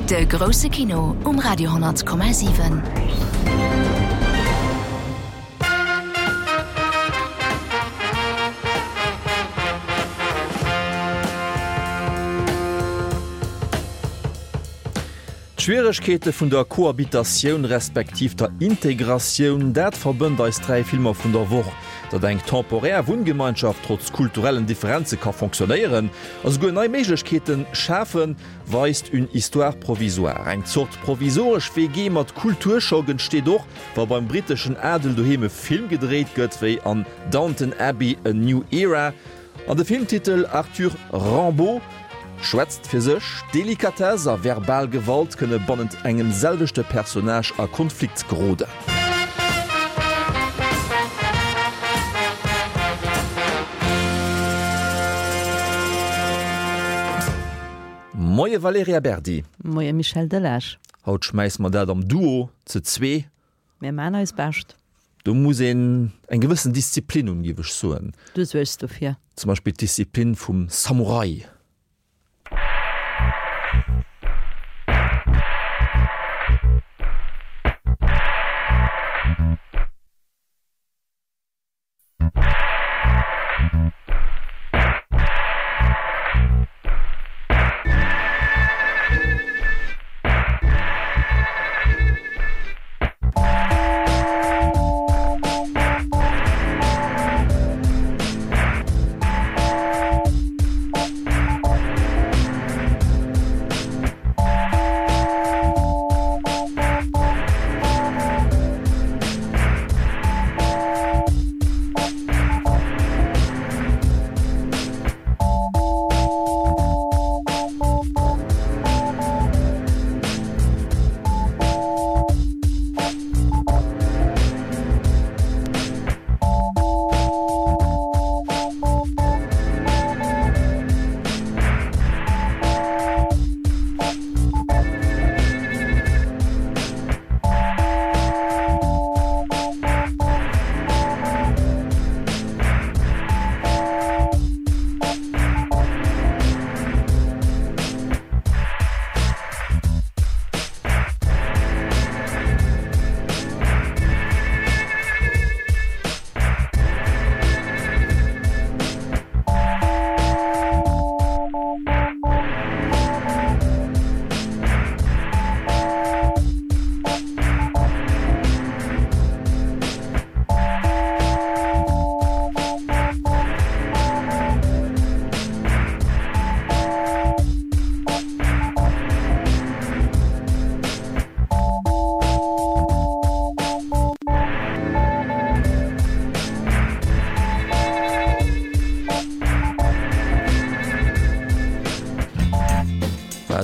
De grousse Kino um Radio 10,7. D'Schwieregkeete vun der Cohabitatioun respektiv der Integratioun, dat verbënnt eis 3 Filmer vun der Woch. Datt eng temporär Wunngemeinschaft trotz kulturellen Differenze ka fonctionnéieren a souguer nei Méiglechkeete schafen, weist Une histoire provisoire. Eng Zort provisoresch WG mat Kulturschock entsteet och, wa beim britteschen Adel doheem e Film gedréit gëtt, wéi an Downton Abbey, A New Era. An de Filmtitel Arthur Rimbaud schwätzt fir sech, Delikatess a verbal Gewalt kënne bannent engem selwechte Personnage a Konflikt geroden. Moie Valerija Berdi. Moie Michel Delage. Haut schmäisse mer dat am Duo, ze zwee. Mir maan eis Bescht. Do muss een eng gewëssen Disziplin hunn, géif ech soen. Du suergs dofir. Zum Beispill d'Disziplin vum Samurai.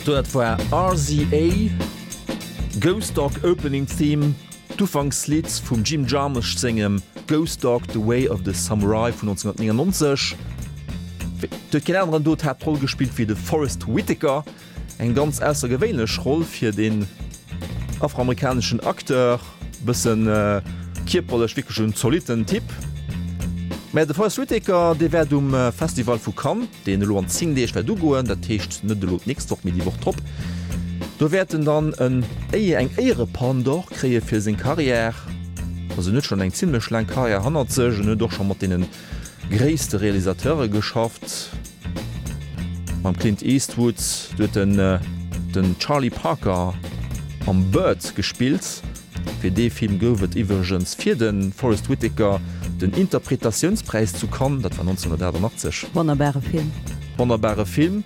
Dat war RZA, Ghost Dog Opening Theme, d'Ufankslidd vum Jim Jarmusch sengem Ghost Dog, The Way of the Samurai vun 1999. Et huet keen aneren do d'Haaptroll gespillt wéi de Forest Whitaker. Eng ganz aussergewéinlech Roll fir deen afroamerikaneschen Acteur, bëssen kierperlech wierklech en zolitten Typ. Mä de Forest Whitaker, dee wäert um Festival vu Cannes, deen elo an 10 Deeg wäert ugoen, dat heescht net elo d'nächst Woch, mee déi Woch drop, do wäert en dann en eng Éierepalme d'Or kréie fir seng Carrière. Also en huet schonn eng zimmlech laang Carrière hannert sech, en huet och scho mat deene gréisste Realisateure geschafft, mam Clint Eastwood, do huet en den Charlie Parker am Bird gespillt. Fir dee Film gouf et iwwregens fir de Forest Whitaker den Interpretatiounspräis zu Cannes, dat war 1988. Wonnerbare Film. Wonnerbare Film.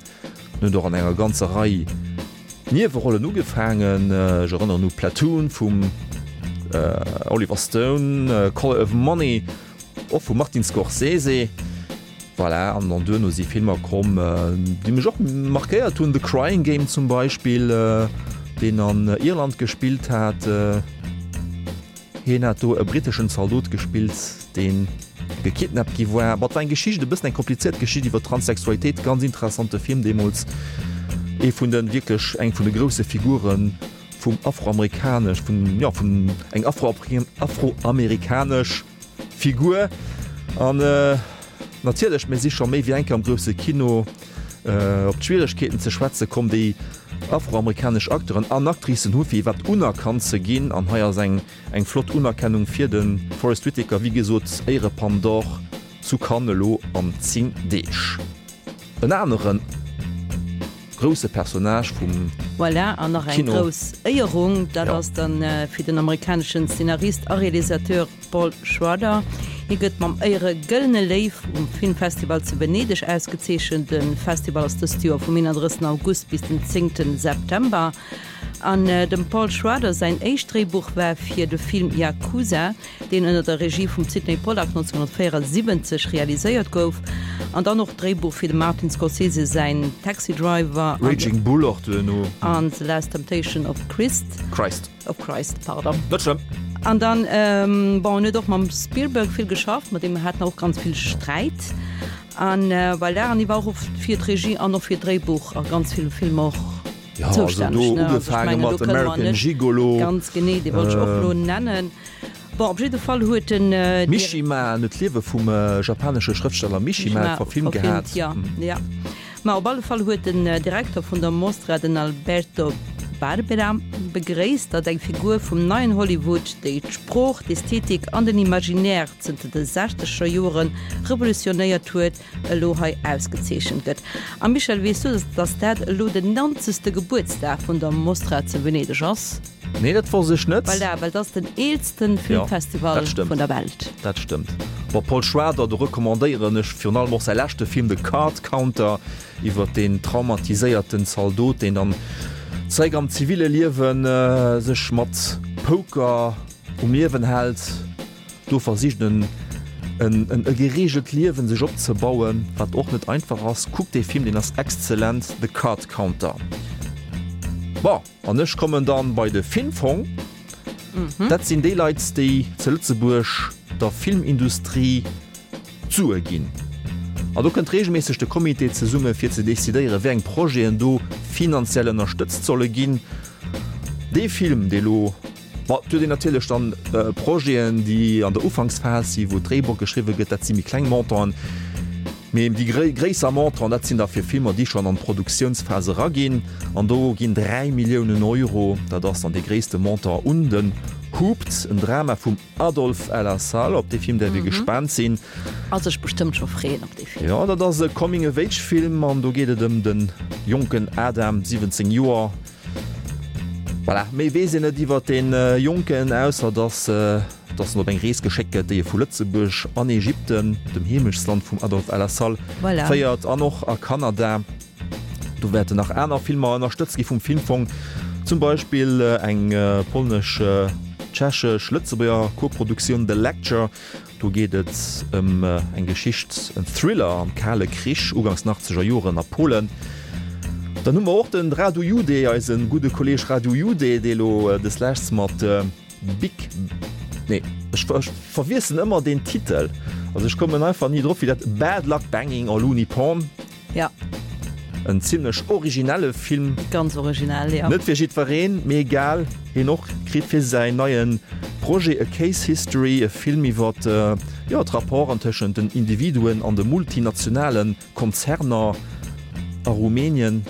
En huet och an enger ganzer Rei Niewerollen ugefaangen, ech erënneren u Platoon vum Oliver Stone, Color of Money och vum Martin Scorsese. Voilà, an dann duerno si Filmer komm, déi mech och markéiert hunn, The Crying Game zum Beispill, deen an Irland gespillt hat. Hien hat do e britteschen Zaldot gespillt, dee gekidnappt gi war. Bon, et war eng Geschicht, e bëssen eng komplizéiert Geschicht iwwer Transsexualitéit. Ganz interessante Film deemools. Ee vun de wierklech, eng vun de grousse Figure vum afroamerikanesch, vun, jo, vun eng afroamerikanesch Figur. An natierlech, mir si scho méi wéi eng Kéier am grousse Kino op d'Schwieregkeeten ze schwätze komm, déi. afroamerikanesch Acteuren an Actricen hu fir iwwerhaapt unerkannt ze ginn. An hei ass eng eng flott Unerkennung fir de Forest Whitaker, wéi gesot Éierepalme d'Or zu Cannes elo an 10 Deeg. En aneren grousse Personnage vum Voilà, an nach eng Kino. grouss Éierung, dat Ja. ass dann fir den amerikaneschen Szenarist a Realisateur Paul Schrader. Hie gëtt mam Éiere Gëllene Léiw um Filmfestival zu Venedeg ausgezeechent. De Festival ass dëst Joer vum 31 August bis den 10 September. An dem Paul Schrader säin éischt Dréibuch war fir de Film Yakuza, deen ënner der Regie vum Sydney Pollack 1974 realiséiert gouf, an dann och d'Dréibuch fir dem Martin Scorsese säin Taxi Driver Raging Bull och duerno. an The Last Temptation of Christ. Christ. Of Christ, pardon. Net schlëmm. An dann, bon, en huet och mam Spielberg vill geschafft, mat deem hat en och ganz vill Sträit. An voilà, an hie war och oft fir d'Regie an och fir d'Dréibuch a ganz ville Filmer och Ja, also zoustänneg, do ne? Also ech ugefaange mengen, do mat kënne mer American net Gigolo. ganz genee, dee wollt ech och elo nennen. Bon, op jidde Fall huet den Dir. Mishima, en huet d'Liewe vum japanesche Schrëftsteller Mishima Mishima verfilmt verfilmt, gehat. ja, ja. Ma op alle Fall huet den Direkter vun der Mostra, den Alberto Barbera, begréisst, datt eng Figur vum neien Hollywood, déi d'Sprooch, d'Ästhetik an den Imaginaire zënter de sechzeger Jore revolutionéiert huet, elo hei ausgezeechent gëtt. A Michel, weess du, datt dat elo den nonzegste Gebuertsdag vun der Mostra zu Venedeg ass? Nee, dat wosst ech net. Voilà, well dat ass den eelsten Filmfestival vun der Welt. Dat stëmmt. Bon, Paul Schrader, do recommandéieren ech virun allem och säi leschte Film The Card Counter iwwer deen traumatiséierten Zaldot, deen dann zeréck am ziville Liewe sech mat Poker um Liewen hält. Do versicht en en e gereegelt Liewen sech opzebauen, wat och net einfach ass. Kuckt dee Film, deen ass exzellent, The Card Counter. Bon, an ech kommen dann bei de Filmfong. Dat sinn déi Leit, déi zu Lëtzebuerg der Filmindustrie d'Sue ginn. An do kënnt reegelméisseg de Comité zesumme fir ze decidéieren, wéi eng Projeten do finanziell ënnerstëtzt solle ginn. Dee Film, dee lo Ma et huet een natierlech dann Projeten, déi an der Ufanksphas sinn, wou d'Dréibuch geschriwwe gëtt, dat si méi kleng Montanten. Mee déi gréisser Montanten, dat sinn da fir Filmer, déi schonn an d'Produktiounsphas eraginn. An do ginn 3 Milliounen Euro, dat ass dann dee gréisste Montant, un den Hooped, en Drama vum Adolf El Assal. Op dee Film däerf ee gespaant sinn. A sech bestëmmt scho freeën op dee Film. Jo, dat ass e Coming-of-Age-Film an do geet et ëm de jonken Adam, 17 Joer, Voilà, méi weess een net iwwert dee Jonken, ausser dass dass en op eng Rees geschéckt gëtt, déi e vu Lëtzebuerg an Ägypten, dem Heemechtsland vum Adolf El Assal, Voilà. féiert an och a Kanada. Do wäerten nach aner Filmer ënnerstëtzt gi vum Filmfong, zum Beispill eng polnesch, tschechesch, Lëtzebuerger Koproduktioun The Lecture, Do geet et ëm eng Geschicht, en Thriller am Kale Krich, ugangs den achtzeger Joren a Polen. Dann hu mer och den Radu Jude, eise gudde Kolleeg Radu Jude, dee lo desleschts mat Big, nee, ech verwiesselen ëmmer deen Titel, also ech kommen einfach ni drop, wéi dat, Bad Luck Banging or Looney Porn. Ja. En zimlech originelle Film. Ganz originell, ja. Net fir jiddwereen, mee egal. Hien och kritt fir säin neie Projet A Case History, e Film iwwer, jo, d'Rapporten tëschent den Individuen an de multinationale Konzerner a Rumänien.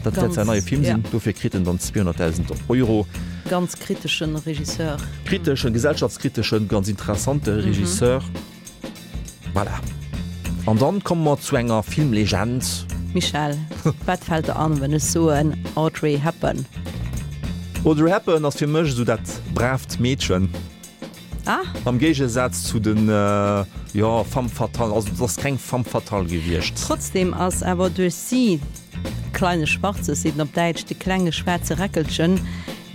Dat wäert säin neie Film sinn. Dofir kritt en dann 200.000 Euro. Ganz kriteschen Regisseur. Kriteschen, gesellschaftskriteschen, ganz interessante Regisseur. Voilà. An dann komme mer zu enger Filmlegend. Michèle, wat fält der an, wenn ech soen Audrey Hepburn? Audrey Hepburn ass fir mech esou dat braavt Meedchen. Ah. Am Géigesaz zu den, jo, Femmes fatales. Also, et ass keng Femme fatale gewiescht. Trotzdem ass awer duerch si Kleine Schwarzes, seet en op Däitsch, de klenge schwaarze Räckelchen,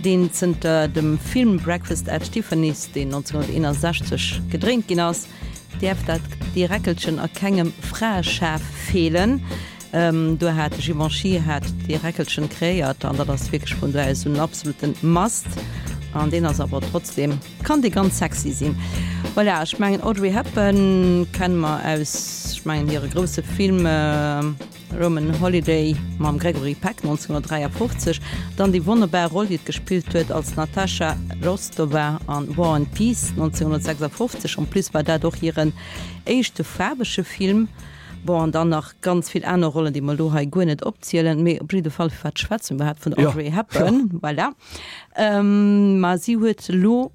deen zënter dem Film Breakfast at Tiffany's, deen 1961 gedréint ginn ass, däerf dat dee Räckelchen a kengem Fraeschaf feelen. Do hat de Givenchy hat dee Räckelchen kreéiert an dat ass wierklech vun do aus un absoluten Must. An deen ass awer trotzdem, kann dee ganz sexy sinn. Voilà, ech mengen Audrey Hepburn kenne mer aus, ech mengen hire grousse Film, Roman Holiday mam Gregory Peck 1953, dann déi wonnerbar Roll, déi et gespillt huet als Natasha Rostova an War and Peace 1956. En plus war dat och hiren éischte faarwege Film. Bon, an dann nach ganz vill aner Rollen, déi mer elo hei guer net opzielen. Mee op jidde Fall, firwat schwätze mer iwwerhaapt vun der Audrey Hepburn? Voilà. Ma si huet elo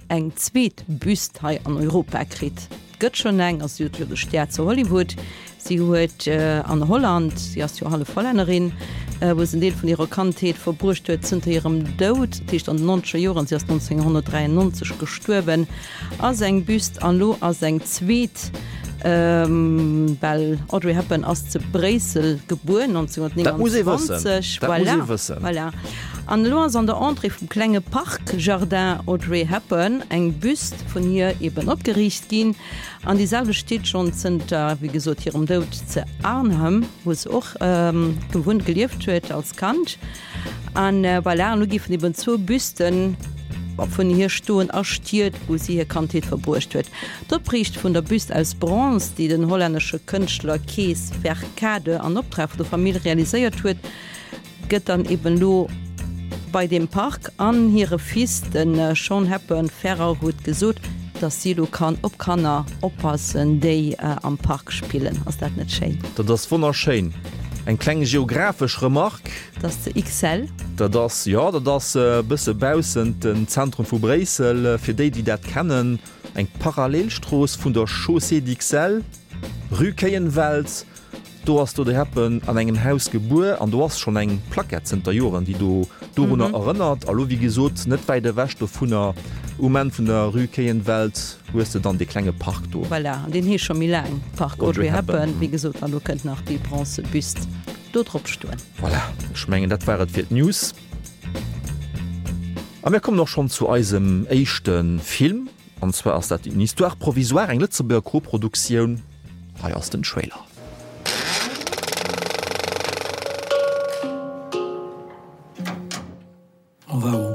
eng zweet Büst hei an Europa kritt. Et gëtt schonn eng, also si huet jo de Stär zu Hollywood, si huet an Holland, si ass jo hallef Hollännerin, wou se en Deel vun hirer Kandheet verbruecht huet, zënter hirem Doud, dat heescht an den nonzeger Joren, si ass 1993 gestuerwen, ass eng Büst an elo ass eng zweet, well Audrey Hepburn ass zu Bréissel gebuer 1929, voilà, voilà. An elo ass an der Entrée vum klenge Park Jardin Audrey Hepburn eng Büst vun hir eben opgeriicht ginn. An déi selwecht steet schonn zënter, wéi gesot, hirem Doud ze Arnhem, wou se och gewunnt, gelieft huet als Kand. An voilà, an elo géifen eben zwou Büsten vun hir stoen a Stied, wou si hir Kandheet verbruecht huet. D'Opriicht vun der Büst aus Bronze, déi den hollännesche Kënschtler Kees Verkade an Optrag vun der Famill realiséiert huet, gëtt dann eben elo bei deem Park an hire Fils, de Sean Hepburn Ferrer, huet gesot, datt si elo kann op Kanner oppassen, déi am Park spillen. Ass dat net schéin? Dat ass wonnerschéin. Eng kleng geographesch Remarque. Dat ass ze Ixelles. Dat ass, jo, dat ass e bësse baussent den Zentrum vu Bréissel. Fir déi, déi dat kennen, eng Parallelstrooss vun der Chaussée d'Ixelles, Rue Kéienwelt. Do ass d'Audrey Hepburn an engem Haus gebuer an do ass schonn eng Plaquette zënter Joren, déi do dorunner erënnert. A lo, wéi gesot, net wäit ewech dovunner, um Enn vun der Rue Kéienwelt, hues de dann dee klenge Park do. Voilà, an deen heescht scho méi laang Park Audrey Hepburn. Wéi gesot, an do kënnt nach déi bronze Büst do drop stoen. Voilà, ech mengen, dat war et fir d'News. A mir kommen och schonn zu eisem éischte Film. An zwar ass dat Une histoire provisoire, eng Lëtzebuerger Koproduktioun. Hei ass den Trailer. On va où?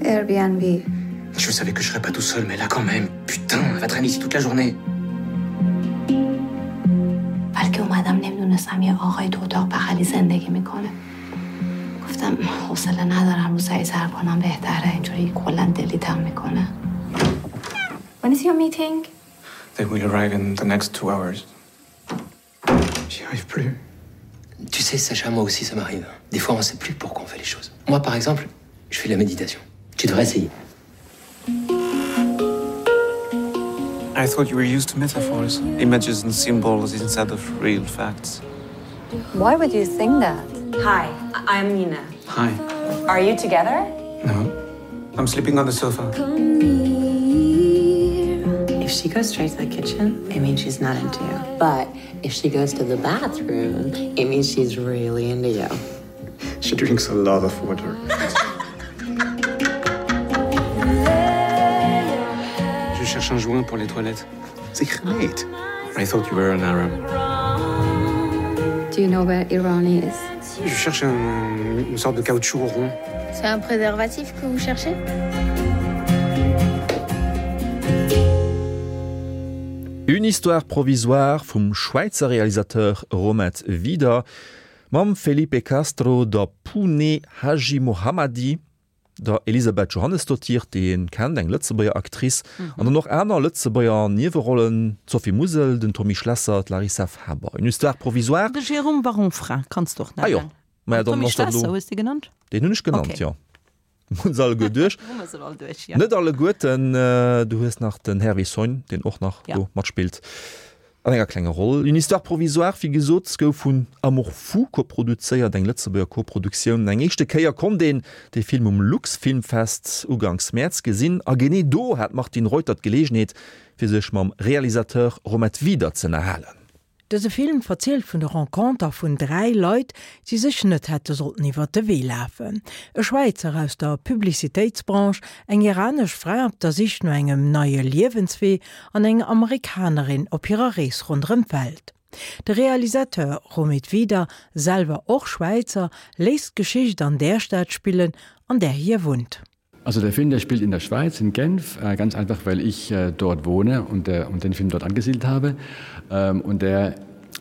Airbnb. Je savais que je serais pas tout seul, mais là quand même. Putain, elle va traîner ici toute la journée. بلکه اومدم نمیدونستم یه آقای تو اتاق بغلی زندگی میکنه گفتم حوصله ندارم رو سعی سر کنم بهتره اینجوری کلا دلیتم میکنه When is your meeting? They will arrive in the next two hours. J'y arrive plus. Tu sais, Sacha, moi aussi ça m'arrive. Des fois, on sait plus pourquoi on fait les choses. Moi, par exemple, je fais de la méditation. Tu devrais essayer. I thought you were used to metaphors, images and symbols instead of real facts. Why would you think that? Hi, I'm Nina. Hi. Are you together? No. I'm sleeping on the sofa. If she goes straight to the kitchen, it means she's not into you. But if she goes to the bathroom, it means she's really into you. She drinks a lot of water. Je cherche un joint pour les toilettes. Sich mate. I thought you were an Arab. Do you know where Iran is? Je cherche un, une sorte de caoutchouc rond. C'est un préservatif que vous cherchez? Une histoire provisoire vum Schwäizer Realisateur Romet Wieder mam Felipe Castro, der Pooneh Hajimohammadi, der Elisabeth Johannesdottir, déi een kennt, eng Lëtzebuerger Actrice, an dann och aner Lëtzebuerger Niewerollen, d'Sophie Musel, den Tommy Schlesser, d'Larissa Faber. Une histoire provisoire. De Jérôme Varonfra kanns de och nennen. Ah jo, maja dann Tommy ass dat Schlesser elo. hues de genannt? Deen hunn ech genannt, Okay. jo. Hunn se alleguer duerch. Hu mer se all duerch, jo. Net alleguerten, du hues nach den Hervé Sogne, deen och nach Ja. do matspillt an enger klenger Roll. Une histoire provisoire, wéi gesot, gouf vun Amour fou koproduzéiert, eng Lëtzebuerger Koproduktioun. Eng éischte Kéier konnt een dee Film um Luxfilmfest uganks Mäerz gesinn a genee do hat d'Martine Reuter d'Geleegenheet, fir sech mam Realisateur Romet Wieder z'ënnerhalen. Dëse Film verzielt vun de Renconter vun 3 Leit, déi sech net hätte sollten iwwert de Wee lafen. E Schwäizer aus der Publicitéitsbranche, eng iranesch Fra op der Sich no engem neie Liewenswee an eng Amerikanerin op hirer Rees ronderëm d'Welt. De Realisateur Romit Wieder, selwer och Schwäizer, léisst d'Geschicht an där Stad spillen, an där hie wunnt. Also der Film der spielt in der Schweiz in Genf, äh, ganz einfach weil ich äh, dort wohne und, äh, und den Film dort angesiedelt habe ähm, und der.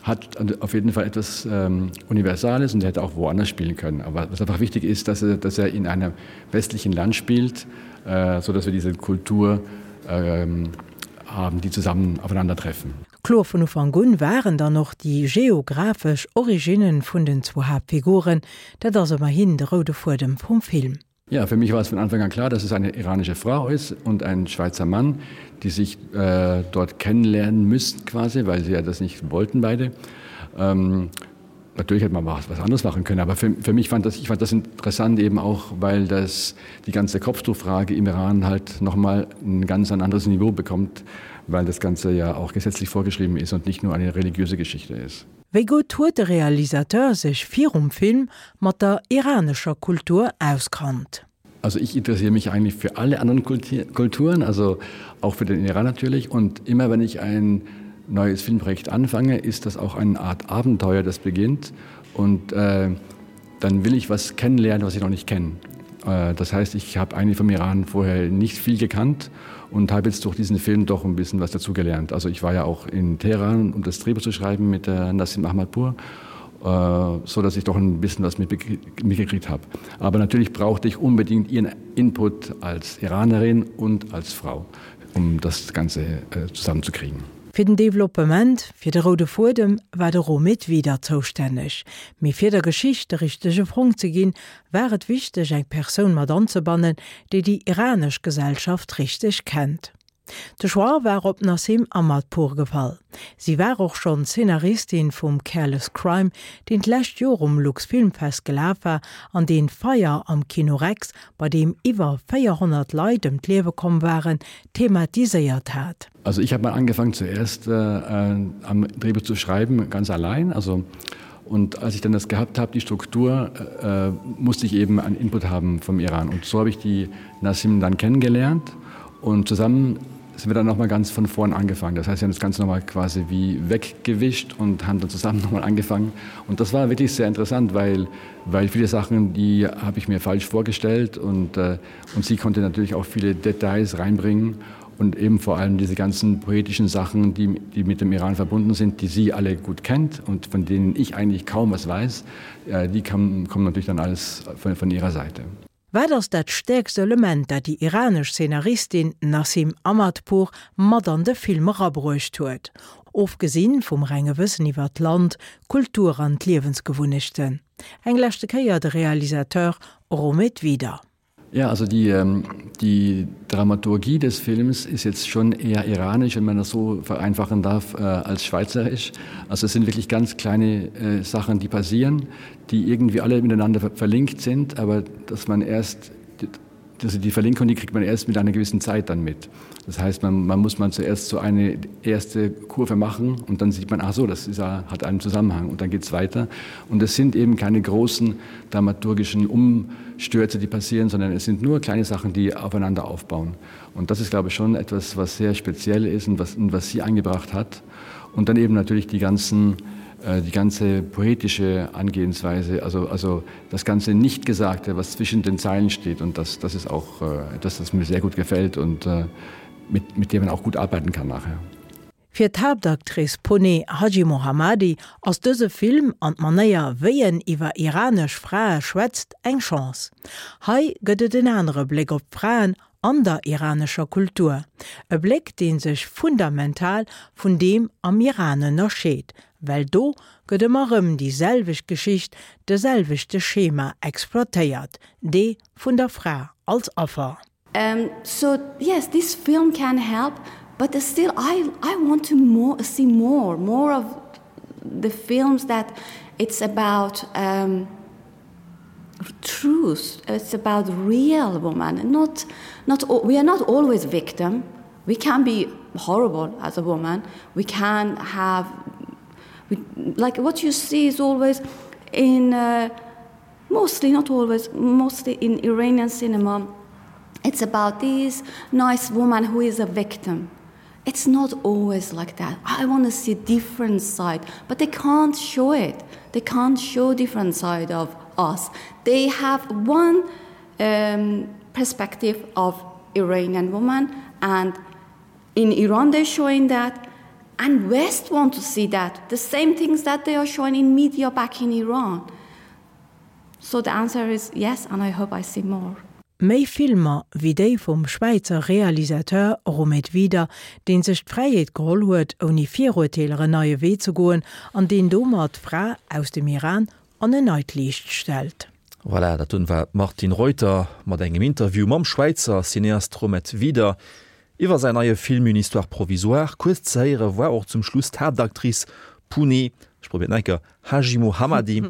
hat auf jeden Fall etwas ähm, Universales und er hätte auch woanders spielen können. Aber was einfach wichtig ist, dass er, dass er in einem westlichen Land spielt, äh, so dass wir diese Kultur ähm, haben, die zusammen aufeinandertreffen. Kloer vun Ufank un waren dann och déi geographesch Originnen vun den zwou Haaptfiguren, dat ass ëmmerhin de roude Fuedem vum Film. Ja, für mich war es von Anfang an klar, dass es eine iranische Frau ist und ein Schweizer Mann, die sich äh, dort kennenlernen müssten quasi, weil sie ja das nicht wollten beide. Ähm, natürlich hätte man was, was anderes machen können, aber für, für mich fand das, ich fand das interessant eben auch, weil das die ganze Kopftuchfrage im Iran halt noch mal ein ganz ein anderes Niveau bekommt, weil das Ganze ja auch gesetzlich vorgeschrieben ist und nicht nur eine religiöse Geschichte ist. Wéi gutt huet de Realisateur sech virum Film mat der iranescher Kultur auskannt? Also ich interessiere mich eigentlich für alle anderen Kulturen, also auch für den Iran natürlich. Und immer wenn ich ein neues Filmprojekt anfange, ist das auch eine Art Abenteuer, das beginnt. Und äh, dann will ich was kennenlernen, was ich noch nicht kenne. Äh, das heißt, ich habe eigentlich vom Iran vorher nicht viel gekannt und habe jetzt durch diesen Film doch ein bisschen was dazugelernt. Also ich war ja auch in Teheran, um das Drehbuch zu schreiben mit äh, Nassim Ahmadpur, äh, so dass ich doch ein bisschen was mitgekriegt habe. Aber natürlich brauchte ich unbedingt ihren Input als Iranerin und als Frau, um das Ganze äh, zusammenzukriegen. Fir den Developpement, fir de roude Fuedem, war de Romit Wieder zoustänneg. Mee fir der Geschicht de richtege Frong ze ginn, war et wichteg eng Persoun mat anzebannen, déi déi iranesch Gesellschaft richteg kennt. De Choix war op Nassim Ahmadpour gefall. Si war och schonn Zeenaristin vum Careless Crime, deen d'lescht Joer um Luxfilmfest gelaf war an deen d'Feier am Kino Rex, bei deem iwwer 400 Leit ëm d'Liewe komm waren, thematiséiert hat. Also ich habe mal angefangen zuerst äh, äh, am Drehbuch zu schreiben, ganz allein. Also, und als ich dann das gehabt habe, die Struktur, äh, musste ich eben einen Input haben vom Iran. Und so habe ich die Nassim dann kennengelernt und zusammen sind wir dann noch mal ganz von vorn angefangen. Das heißt, wir haben das Ganze noch mal quasi wie weggewischt und haben dann zusammen noch mal angefangen. Und das war wirklich sehr interessant, weil, weil viele Sachen, die habe ich mir falsch vorgestellt und, äh, und sie konnte natürlich auch viele Details reinbringen und eben vor allem diese ganzen poetischen Sachen, die, die mit dem Iran verbunden sind, die sie alle gut kennt und von denen ich eigentlich kaum was weiß, äh, die kam, kommen natürlich dann alles von, von ihrer Seite. Wat ass dat stäerkst Element, dat déi iranesch Zeenaristin Nassim Ahmadpour mat an de Film erabruecht huet? Ofgesinn vum renge Wëssen iwwer d'Land, d'Kultur an d'Liewensgewunnechten. Eng leschte Kéier de Realisateur Romit Wieder. Ja, also die, ähm, die Dramaturgie des Films ist jetzt schon eher iranisch, wenn man das so vereinfachen darf, äh, als schweizerisch. Also es sind wirklich ganz kleine äh, Sachen, die passieren, die irgendwie alle miteinander ver verlinkt sind, aber dass man erst also die Verlinkung, die kriegt man erst mit einer gewissen Zeit dann mit. Das heißt, man, man muss man zuerst so eine erste Kurve machen und dann sieht man, ach so, das ist, hat einen Zusammenhang und dann geht es weiter. Und es sind eben keine großen dramaturgischen Umstürze, die passieren, sondern es sind nur kleine Sachen, die aufeinander aufbauen. Und das ist, glaube ich, schon etwas, was sehr speziell ist und was, und was sie eingebracht hat. Und dann eben natürlich die ganzen, äh, die ganze poetische Angehensweise, also, also das ganze Nichtgesagte, was zwischen den Zeilen steht. Und das, das ist auch äh, etwas, das mir sehr gut gefällt und äh, mit, mit dem man auch gut arbeiten kann nachher. Fir d'Haaptactrice Pooneh Hajimohammadi ass dëse Film an d'Manéier, wéi en iwwer iranesch Frae schwätzt, eng Chance. Hei gëtt et en anere Bléck op d'Fraen an der iranescher Kultur, e Bléck, dee sech fundamental vun deem am Iran ënnerscheet, well do gëtt ëmmer erëm déi selwecht Geschicht, de selwechte Schema exploitéiert, dee vun der Fra als Affer. So yes, this film can help, but still I, I want to more, see more, more of the films that it's about um, truth it's about real woman not not we are not always victim we can be horrible as a woman we can have we, like what you see is always in uh, mostly not always mostly in Iranian cinema it's about this nice woman who is a victim it's not always like that I want to see different side but they can't show it they can't show different side of us they have one um, perspective of Iranian woman and in Iran they're showing that. And West want to see that, the same things that they are showing in media back in Iran. So the answer is yes, and I hope I see more. Méi Filmer wéi déi vum Schwäizer Realisateur Romed Wieder, deen sech d'Fräiheet geholl huet, ouni Virurteeler en neie Wee ze goen an deen domat d'Fra aus dem Iran an en neit Liicht stellt. Voilà, dat dunn war d'Martine Reuter mat engem Interview mam Schwäizer Cineast Romed Wieder iwwer säin neie Film Une histoire provisoire. Kuerz ze héiere war och zum Schluss d'Haaptactrice Pooneh, ech probéieren et nach eng Kéier, Hajimohammadi.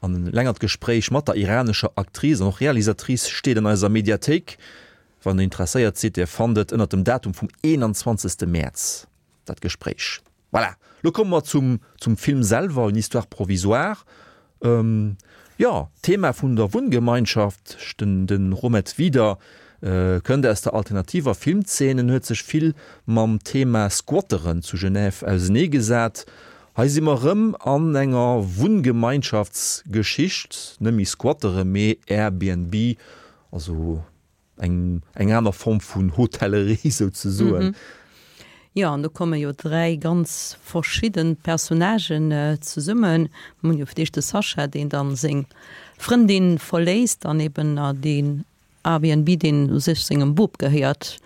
An e längert Gespréich mat der iranescher Actrice an och Realisatrice steet an eiser Mediathéik. Wann der interesséiert sidd, dir fannt et ënnert dem Datum vum 21. Mäerz, dat Gespréich. Voilà, lo komme mer zum zum Film selwer, Une histoire provisoire. Jo, d'Thema vun der Wunngemeinschaft, den de Romet Wieder kënnt aus der alternativer Filmzeen. En huet sech vill mam Thema Squatteren zu Genève auseneegesat. Hei si mer erëm an enger Wunngemeinschaftsgeschicht, net méi Squattere mee Airbnb, also eng eng aner Form vun Hotellerie souzesoen. Jo, an do komme jo 3 ganz verschidde Personnagen zesummen. Mir hunn jo fir d'éischt de Sascha, deen dann seng Frëndin verléisst an eben deen Airbnb, deen u sech sengem Bop gehéiert,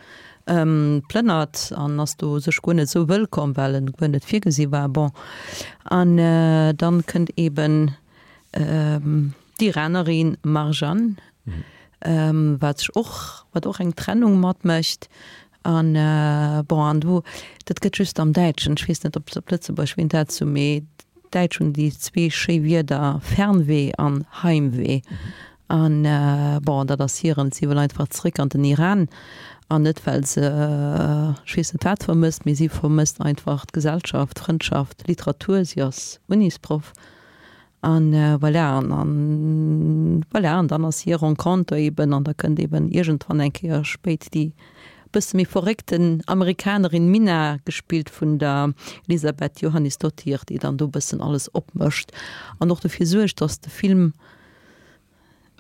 plënnert an ass do u sech guer net esou wëllkomm, well en guer net virgesi war. Bon, an dann kënnt eben d'Iranerin Marjan, wat sech och, wat och eng Trennung matmécht. An bon, an do, dat gëtt just am Däitschen, ech weess net, ob se op Lëtzebuergesch wéi dat sou, mee d'Däitsch hunn déi zwee schéi Wierder Fernweh an Heimweh. An bon, dat ass hiren, si wëll einfach zréck an den Iran an net well se ech weess net wat vermësst, mee si vermësst einfach d'Gesellschaft, d'Frëndschaft, Literatur, si ass Unisproff. An voilà, an an voilà, an dann ass hir Renconter eben, an da kënnt eben iergendwann eng Kéier spéit déi bësse méi verréckten Amerikanerin Mina, gespillt vun der Elisabeth Johannisdottir, déi dann do bëssen alles opmëscht an och dofir suergt, dass de Film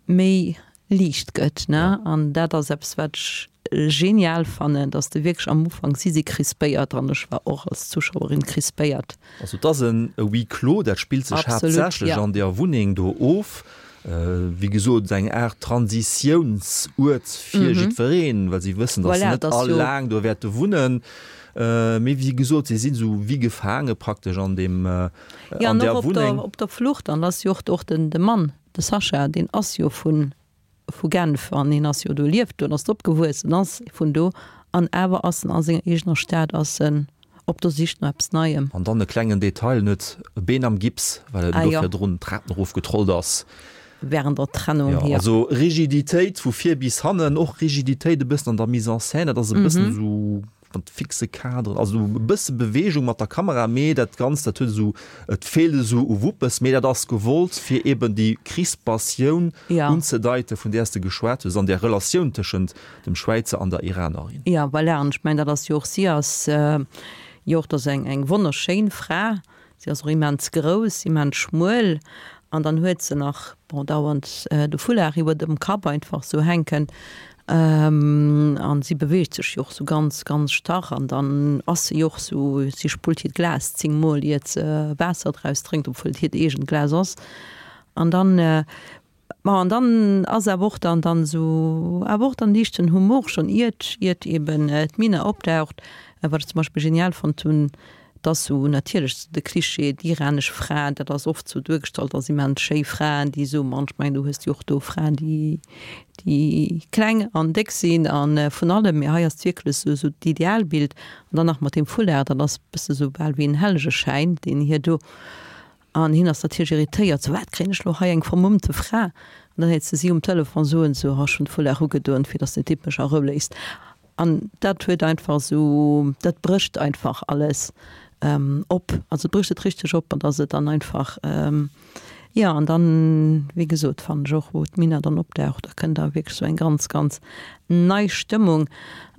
méi liicht gëtt, ne? An dat ass eppes, wat ech genial fannen, dass de wierklech am Ufank, si si crispéiert an ech war och als Zuschauerin crispéiert. Also et ass en Huis clos, dat spillt sech haaptsächlech an där Wunneng do of. Wéi gesot, eng Aart Transitiounsuert fir jiddwereen, well si wëssen, datt se net all laang do wäerte wunnen. Mee wéi gesot, si sinn esou wéi gefaange praktesch an deem, an där Wunneng. Jo, an och op der Flucht. An ass jo och de Mann, De Sascha, deen ass jo vu vu Genf an hien ass jo do, lieft do an ass do opgewuess en ass vun do an awer ass en a senger eegener Stad ass en op der Sich no eppes Neiem. An dann e klengen Detail, en huet e Been am Gips, well en do virdrun d'Trapen erof getrollt ass. Während der Trennung, jo. Also Rigiditéit vu vir bis hannen, och Rigiditéit e bëssen an der Mise en scène, dat ass e bëssen esou Mat fixe Kaderen, also e bësse Beweegung mat der Kamera, mee dat Ganzt, dat huet esou, et feelt esou u Wuppes, mee dat ass gewollt, fir eben déi Crispatioun unzedeiten, vun där s de geschwat hues, an där Relatioun tëschent dem Schwäizer an der Iranerin. Jo, voilà, an ech mengen, dat ass jo och, si ass jo och, dat ass eng, eng wonnerschéin Fra, Si ass och immens grouss, immens schmuel an dann huet se nach, bon, dauernd de Foulard iwwer dem Kapp einfach sou hänken an si beweegt sech jo och sou ganz, ganz starr an dann ass se jo och sou, si spullt hiert Glas 10 mol iert se Waasser draus drénkt, obwuel et hiert eegent Glas ass an dann Ma an dann ass awer och dann dann esou awer och dann liichten Humor schonn iert iert eben d'Mina opdaucht. Wat ech zum Beispill genial fonnt hunn, dass esou natierlech de Klischee, déi iranesch Fra, dat ass oft esou duergestallt als immens schéi Fraen, déi esou, ma ech mengen du hues jo och do Fraen, déi déi kleng an déck sinn a vun allem, mee hei ass et wierklech esou esou d'Idealbild. An dann nach mat deem Foulard, dat ass bësse sou bal wéi en Hellegeschäin, deen hir do An hien ass natierlech irritéiert, sou, Wat, kréien ech lo hei eng vermummte Fra? An dann héiert se si um Telefon soen, sou, Ha, ech hunn d'Foulard ugedoen, fir dass den Typ mech a Rou léisst. An dat huet einfach sou, dat brécht einfach alles op, also et brécht et richteg op an dass et dann einfach, jo, an dann, wéi gesot, fannen ech och, wou d'Mina dann opdaucht, da kënnt da wierklech sou eng ganz, ganz nei Stëmmung.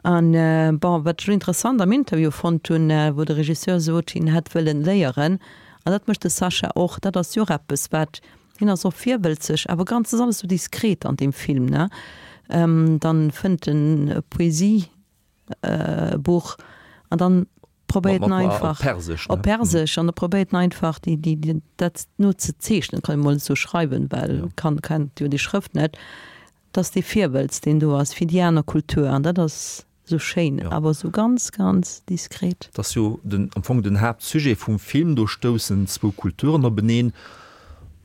An, bon, wat ech lo interessant am Interview fonnt hunn, wou de Regisseur sot, hien hätt wëllen léieren, An dat mécht de Sascha och. Dat ass jo och eppes, wat, hien ass och virwëlzeg, awer ganz, ass alles sou diskret an deem Film, ne? Dann fënnt en e Poesiebuch an dann. probéiert en einfach op Persesch, op Persesch an e probéiert en einfach déi, déi, déi, dat no ze zeechnen, kann ee mol esou schreiwen, well kann, kennt jo déi Schrëft net, dass dee Virwëlz, deen do ass fir déi aner Kultur an dat ass esou schéin, awer esou ganz, ganz diskret. Dat ass jo den, am Fong den Haaptsujet vum Film, do stoussen zwou Kulturen openeen.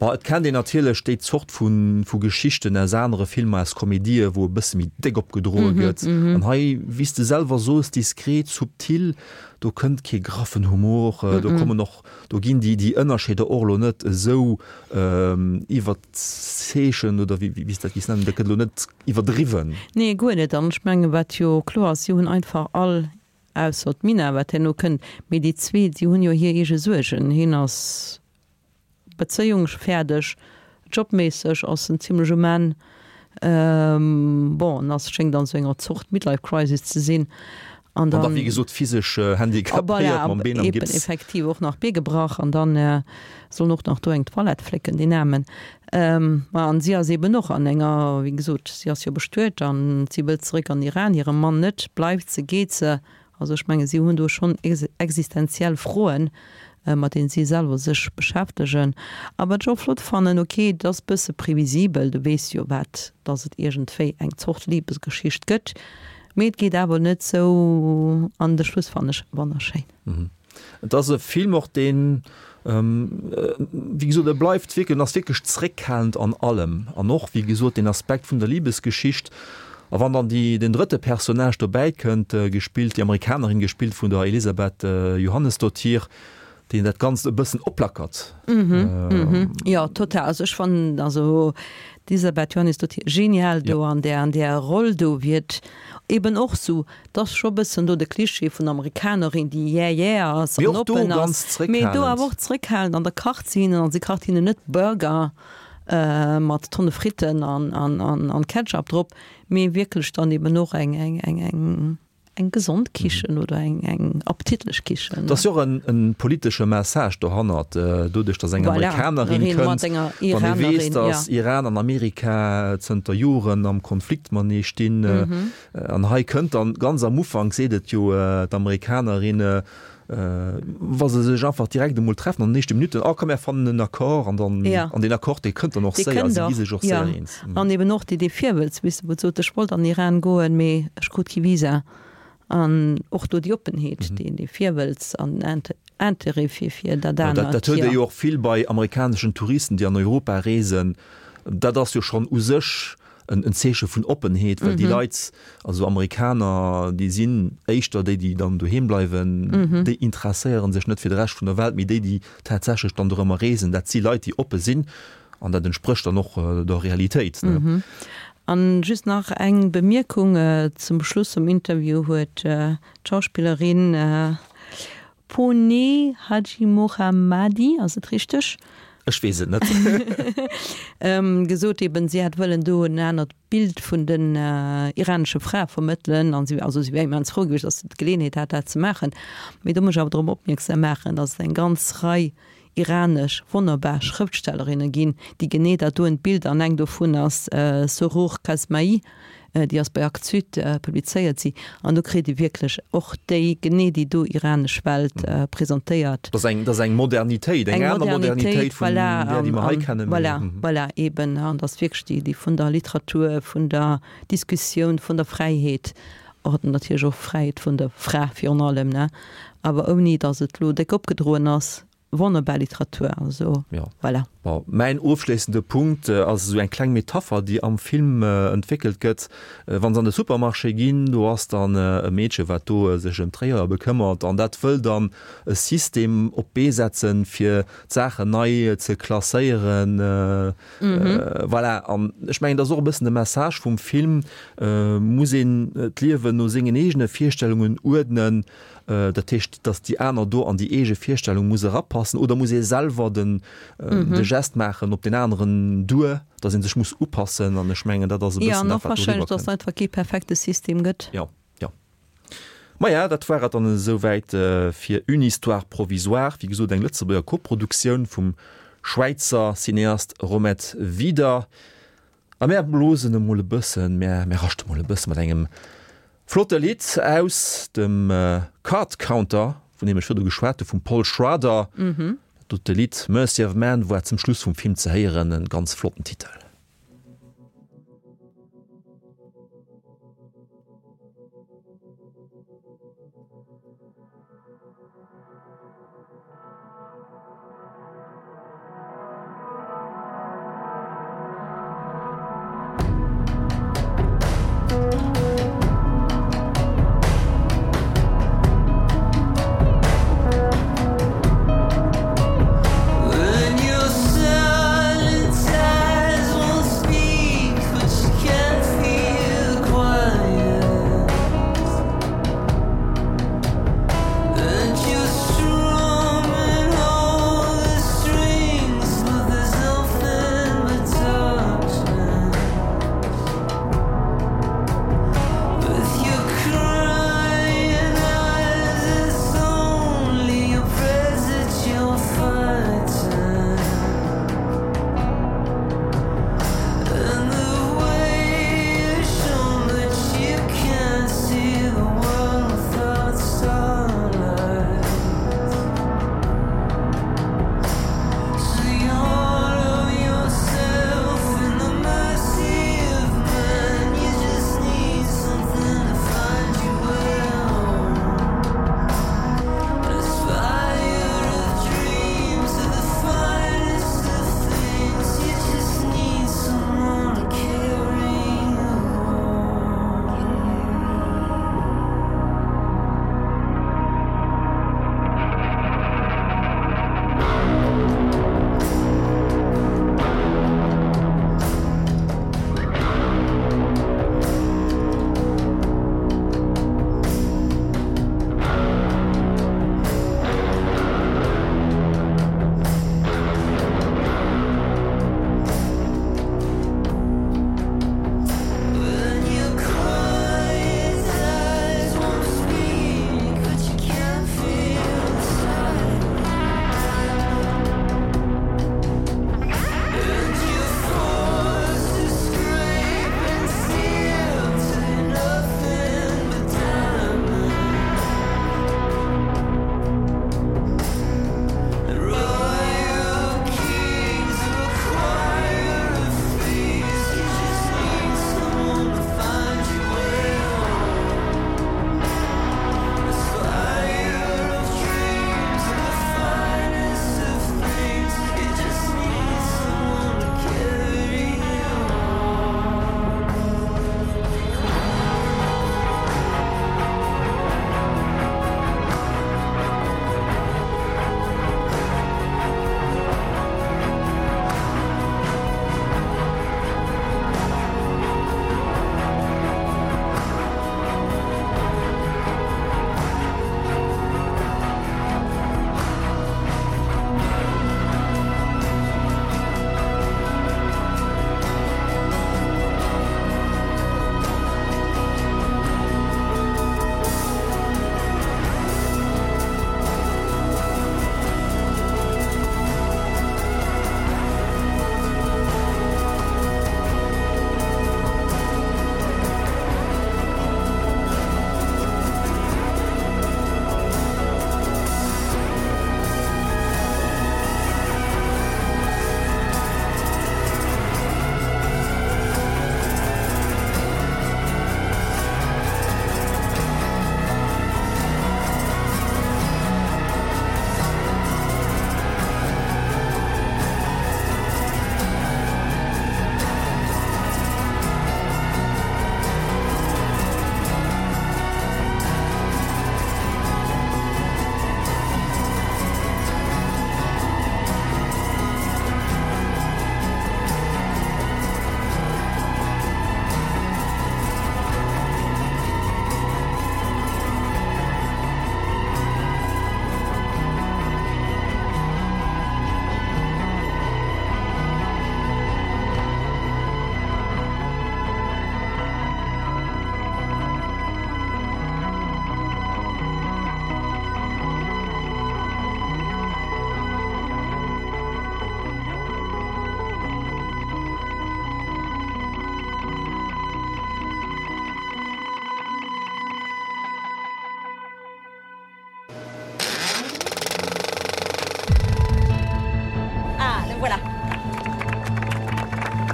Bon, et kennt een natierlech déi Zort vu, vu Geschichten aus anere Filmer, aus Komedië, wou e bësse méi déck opgedroe gëtt. An hei, wéi s de selwer soos, diskret, subtil, do kënnt kee graffen Humor, do kommen och, do ginn déi, déi Ënnerscheeder och elo net esou iwwerzeechent oder wéi, wéi s de dat géifs nennen, dat gëtt elo net iwwerdriwwen. Nee, guer net. An ech mengen, wat jo kloer ass, si hunn einfach all, ausser d'Mina, wat herno kënnt, mee déi zweet, si hunn jo hir eege Suergen. Hien ass Bezéiung fäerdeg, jobméisseg ass en zimlech um Enn. Bon, en ass, schéngt an esou enger Zort Midlife Crisis ze sinn. An dann, wéi gesot, physesch handicapéiert mam Been am Gips. Effektiv, och nach Bee gebrach an dann soll en och nach do eng Toilette flécken, deen Aarmen. Ma an si ass eben och an enger, wéi gesot, si ass jo bestuet an si wëllt zeréck an Iran, hire Mann net. Bleift se, geet se? Also ech menge si hunn do schonn existenziell Froen, mat deenen si selwer sech beschäftegen. A wat ech och flott fannen, ok, et ass bësse previsibel, du weess jo wat, datt et iergendwéi eng Zort Libesgeschicht gëtt, mee et geet awer net sou an de Schluss fannen ech wonnerschéin. Et ass e Film och deen, wéi gesot, e bleift wierklech, en ass wierklech zréckhalend an allem an och, wéi gesot, deen Aspekt vun der Libesgeschicht. A wann dann déi, den drëtte Personnage dobäi kënnt, gespillt, déi Amerikanerin, gespillt vun der Elisabeth Johannesdottir, deen dat Ganzt e bëssen oplackert. Jo, total. Also ech fannen, also d'Elisabeth Johannesdottir genial do an där, an där Roll do, wéi et eben och sou 't ass scho bëssen do de Klischee vun der Amerikanerin, déi yeah yeah ass Mee an och do oppen ganz ass, mee do awer zréckhalend. och zréckhalend an da kacht se hinnen, an si kacht hinnen net Burger mat Tonne Fritten an, an, an, an Ketchup drop, mee wierklech dann eben och eng, eng, eng, eng, eng gesond Kichen oder eng, eng appetitlech Kichen. Et ass jo och en, en politesche Message dohannert, doduerch datt eng Voilà, Amerikanerin mat kënnt, enger wann ee weess, Iranerin, datt ja. Iran an Amerika zënter Joren am Konflikt matenee stinn, An hei kënnt dann, ganz am Ufank seet et jo d'Amerikanerin, wa se sech einfach direkt emol treffen an den éischte Minutten, oh komm mär fannen en Accord an dann, an deen Accord dee kënnt dann och séier, si gi sech och séier eens. An eben och déi dee Virwëlz, weess de, wou sot, ech wollt an den Iran goen, mee ech krut kee Visa. An och do déi Oppenheet, dee dee Virwëlz an den Intérêt fir fir dat anert. Dat huet ee jo och vill bei amerikaneschen Touristen, déi an Europa reesen, dat ass jo schonn u sech en Zeeche vun Oppenheet, well déi Leit, also Amerikaner, déi sinn éischter déi, déi dann doheem bleiwen, déi interesséiere sech net fir de Rescht vun der Welt, mee déi, déi tatsächlech dann dorëmmer reesen, dat si Leit, déi oppe sinn an dat entsprécht dann och der Realitéit. An just nach eng Bemierkung zum Schluss vum Interview huet d'Schauspillerin Pooneh Hajimohammadi, ass et richteg? Ech weess et net. Gesot eben, si hätt wëllen do en anert Bild vun den iranesche Frae vermëttelen an si, also si wär immens frou gewiescht, datt se d'Geleeënheet hat, dat ze maachen. Mee do muss ech awer drop opmierksam maachen, datt et eng ganz Rei iranesch wonnerbar Schrëftstellerinne ginn, déi genee dat doen Bild, an eng dovun ass Sorour Kasmaï, déi ass bei Actes Sud publizéiert si, an do kritt ee wierklech och déi, genee déi do iranesch Welt presentéiert. Dat ass eng, dat ass eng Modernitéit, eng aner Modernitéit vun där, déi mer hei kennen. Voilà, voilà, eben, an dat ass wierklech déi, déi vun der Literatur, vun der Diskussioun, vun der Fräiheet, och natierlech och Fräiheet vun der Fra virun allem, ne, awer ouni datt et elo déck opgedroen ass. Wonnerbar Literatur, also Ja. voilà. Bon, mäin ofschléissende Punkt ass esou eng kleng Metapher, déi am Film entwéckelt gëtt. Wa se an de Supermarché ginn, do ass dann e Meedche, wat do sech ëm d'Réier bekëmmert an dat wëll dann e System op d'Bee setzen, fir d'Saachen nei ze klasséieren. Voilà, an ech mengen, dat ass och e bëssen de Message vum Film, Muss een d'Liewen no sengen eegene Virstellungen uerdnen? Dat heescht, datt déi aner do an déi eege Virstellung muss erapassen oder muss ee selwer den de Gest maachen op deen aneren duer, datt ee sech muss upassen. An ech mengen, dat ass e Jo, bëssen an dat, och wat do wahrscheinlech, datt et eriwwerkënnt. einfach kee perfekte System gëtt. Jo, jo. Maja, dat war et dann esouwäit fir Une histoire provisoire, wéi gesot eng Lëtzebuerger Koproduktioun vum Schwäizer Cineast Romet Wieder. A mär blosen emol e bëssen, mär raschte mol e bësse mat engem flotte Lidd aus dem Card Counter. Vun deem ech virdu geschwat hu, vum Paul Schrader. Dat dote Lidd Mercy of Man war zum Schluss vum Film ze héieren, e ganz flotten Titel.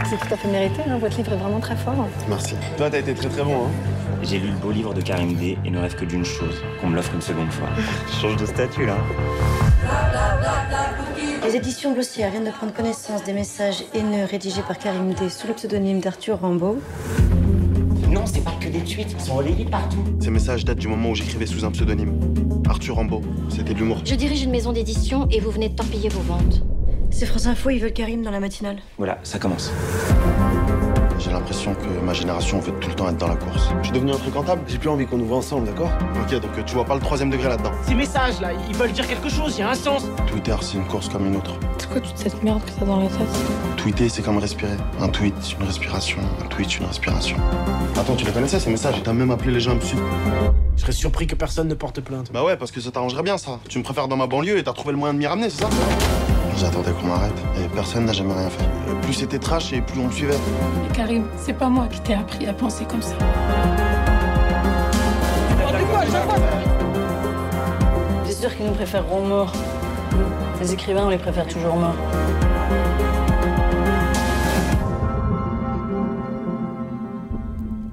C'est tout à fait mérité hein, votre livre est vraiment très fort. Merci. Toi t'as été très très bon hein. J'ai lu le beau livre de Karim D et ne rêve que d'une chose, qu'on me l'offre une seconde fois. Je change de statut là. Les éditions Blossière viennent de prendre connaissance des messages haineux rédigés par Karim D sous le pseudonyme d'Arthur Rambaud. Non, c'est pas que des tweets, ils sont relayés partout. Ces messages datent du moment où j'écrivais sous un pseudonyme. Arthur Rambaud, c'était de l'humour. Je dirige une maison d'édition et vous venez de torpiller vos ventes. C'est France Info, ils veulent Karim dans la matinale. Voilà, ça commence. J'ai l'impression que ma génération veut tout le temps être dans la course. Je suis devenu infréquentable, j'ai plus envie qu'on nous voit ensemble, d'accord Ok, donc tu vois pas le troisième degré là-dedans. Ces messages là, ils veulent dire quelque chose, il y a un sens. Twitter, c'est une course comme une autre. C'est quoi toute cette merde que t'as dans la tête Tweeter, c'est comme respirer. Un tweet, une respiration, un tweet, une respiration. Attends, tu les connaissais ces messages, t'as même appelé les gens dessus. Je serais surpris que personne ne porte plainte. Bah ouais, parce que ça t'arrangerait bien ça. Tu me préfères dans ma banlieue et t'as trouvé le moyen de m'y ramener, c'est ça J'attendais qu'on m'arrête et personne n'a jamais rien fait. Plus c'était trash et plus on le suivait. Mais Karim, c'est pas moi qui t'ai appris à penser comme ça. C'est sûr qu'ils nous préféreront morts. Les écrivains, on les préfère toujours morts.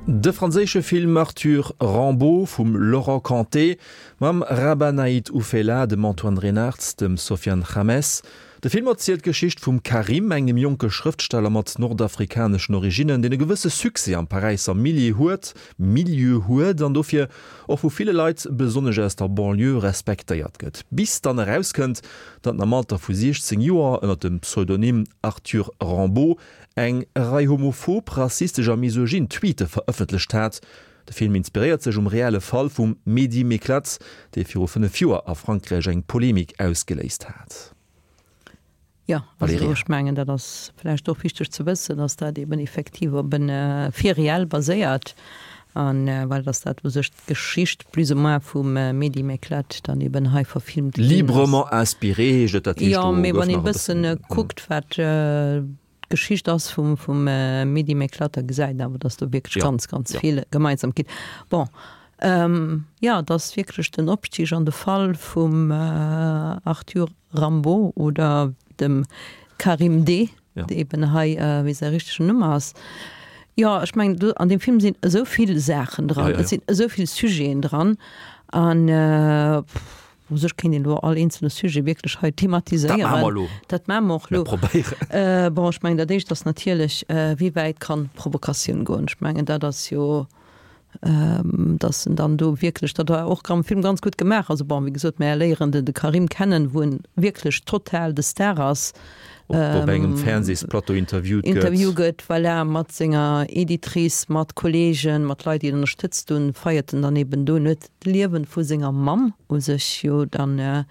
De franséische Film Arthur Rambaud vum Laurent Cantet mam Rabah Naït Oufella, dem Antoine Reinartz, dem Sofiane Khammes. De Film erzielt d'Geschicht vum Karim, engem jonke Schrëftsteller mat nordafrikaneschen Originnen, deen e gewësse Succès am Paräisser Milieu huet, Milieu huet an dofir och vu ville Leit, besonnesch aus der Banlieue, respektéiert gëtt. Bis dann erauskënnt, datt en am Alter vu 16 Joer ënner dem Pseudonym Arthur Rambaud eng Rei homophob, rassistesch a misogyn Tweete verëffentlecht hat. De Film inspiréiert sech um reelle Fall vum Mehdi Meklat, dee viru 5 Joer a Frankräich eng Polemik ausgeléist hat. Jo, also ech mengen, dat ass vläicht och wichteg ze wëssen, dass dat eben effektiv op e Fait réel baséiert an well dass dat u sech d'Geschicht plus ou moins vum Mehdi Meklat dann eben hei verfilmt ginn ass. Librement inspiré heescht et, dat heescht, Jo, do mee gouf wann een nach e e bëssen. bëssen kuckt, wat d'Geschicht ass vum vum Mehdi Meklat, da gesäit een awer, dass do wierklech Jo, ganz, ganz jo. vill Gemeinsamkeet. Bon, jo, et ass wierklech den Opstig an de Fall vum Arthur Rambaud oder dem Karim D., Ja. dee eben hei, wéi säi richtegen Numm ass. Jo, ech mengen, do an deem Film sinn esou vill Saachen dran, Ja, ja, et ja. sinn esou vill Sujeten dran an u sech kéint een elo all eenzele Sujet wierklech hei Dat maache thematiséieren. mer elo. Dat maache mer och Mir elo. probéieren. Bon, ech mengen, dat Éischt ass natierlech, wéi wäit kann Provokatioun goen? Ech mengen, dat ass jo dass en dann do wierklech, dat war och am Film ganz gutt gemaach, also bon, wéi gesot, mär léieren de de Karim kennen, wou en wierklech total de Star ass. Op op engem Fernsehsplateau interviewt gëtt. Interview gëtt, voilà, mat senger Editrice, mat Kollegen, mat Leit, déi en ënnerstëtzt hunn, feiert en dann eben do en huet d'Liewen vu senger Mamm u sech jo dann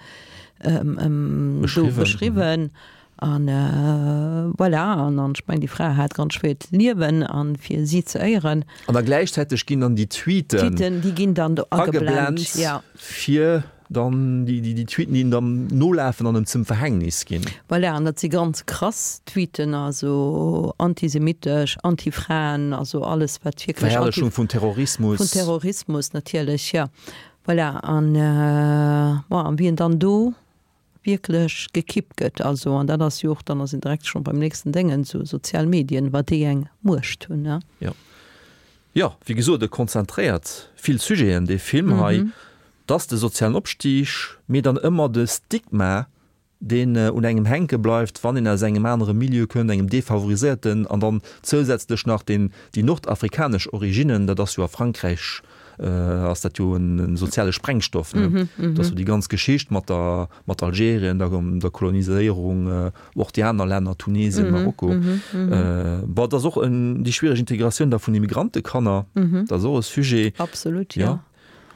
do beschriwwen. An voilà, an an ech mengen, déi Fra hat ganz schwéiert Liewen, an fir si ze éieren. An da gläichzäiteg ginn dann déi Tweeten. Tweeten, déi ginn dann do ageblent, ja. Fir dann déi, déi Tweeten, déi en dann nolafen an em zum Verhängnis ginn. Voilà, an dat si ganz krass Tweeten, also antisemitesch, anti-Fraen, also alles wat wierklech. Verherrlechung vun Terrorismus. Vun Terrorismus natierlech, ja. Voilà, an bon, an wéi en dann do wierklech gekippt gëtt. Also, an dat ass jo och, dann ass een direkt scho beim nächsten Déngen, esou sozial Medien, wat déi eng Muecht hunn, ne? Jo. Jo, wéi gesot, e konzentréiert vill Sujeten, dee Film hei. Et ass de sozialen Opstig, mee dann ëmmer de Stigma, deen un engem hänke bleift, wann een aus engem anere Milieu kënnt, engem defavoriséierten, an dann zousätzlech nach deen, déi nordafrikanesch Originnen, dat ass jo a Frankräich ass dat jo en soziale Sprengstoff, ne? Dat ass jo déi ganz Geschicht mat der, mat Algerien, der, der Koloniséierung, och déi aner Länner, Tunesien, Marokko. Bon, et ass och en, déi schwiereg Integratioun da vun Immigrantekanner, dat ass och e Sujet. Absolut, jo.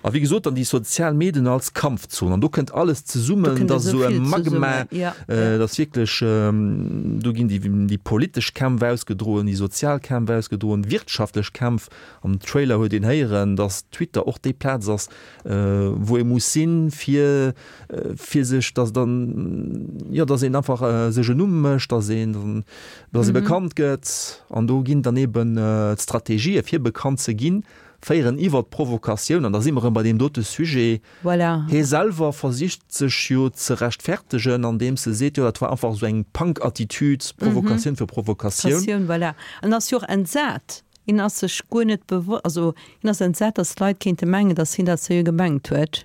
A wéi gesot, dann déi sozial Medien als Kampfzon. An do kënnt alles zesummen, dat ass esou e Magma, dat ass wierklech, do ginn déi, déi politesch Kämpf ausgedroen, déi sozial Kämpf ausgedroen, wirtschaftlech Kämpf. Am Trailer huet een héieren, datt Twitter och déi Plaz ass, wou ee muss sinn, fir fir sech, datt dann, jo, datt een einfach sech en Numm mécht, datt een, datt ee bekannt gëtt. An do ginn dann eben d'Strategië fir bekannt ze ginn. féieren iwwer d'Provokatioun, an da si mer erëm bei deem dote Sujet. Voilà. Hie selwer versicht sech jo ze rechtfertegen, andeems e seet, jo dat war einfach esou eng Punk-Attitüd, Provokatioun fir Provokatioun. Provokatioun, voilà. En ass jo och entsat. Hien ass sech guer net bewo-, also hien ass entsat, datt Leit kéinte mengen, datt hien dat seriö gemengt huet.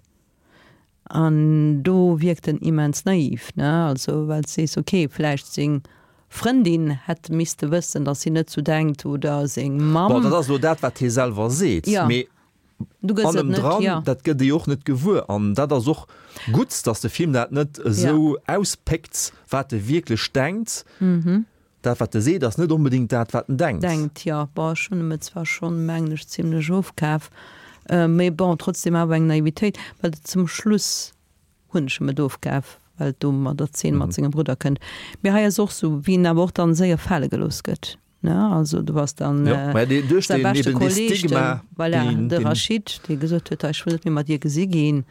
An do wierkt en immens naiv, ne? Also well s sees, ok, vläicht seng Frëndin hätt misste wëssen, datt hien net sou denkt, oder seng Mamm. Bon, dat ass elo dat, wat hie selwer seet, mee Du gëss et net, Hannendran, jo. dat gëtt ee jo och net gewuer. An dat ass och gutt, datt de Film dat net esou auspéckt, wat e wierklech denkt. Dat, wat e seet, ass net onbedéngt dat, wat en denkt. Denkt, jo. Bon, ech hunn em et zwar schonn, mengen ech, zimlech ofkaf, mee bon, trotzdem awer eng Naivitéit, well et zum Schluss hunn ech em et ofkaf, well et do mat der Zeen mat sengem Brudder kënnt. Mee hei ass och sou, wéi en awer och dann séier fale gelooss gëtt, ne? Also do ass dann Jo, mä dee, duerch säi deen, beschte eben dee Kolleg, de, Stigma, voilà, deen, de deen. Rachid, dee gesot huet, hei, ech wëll net méi mat dir gesi ginn.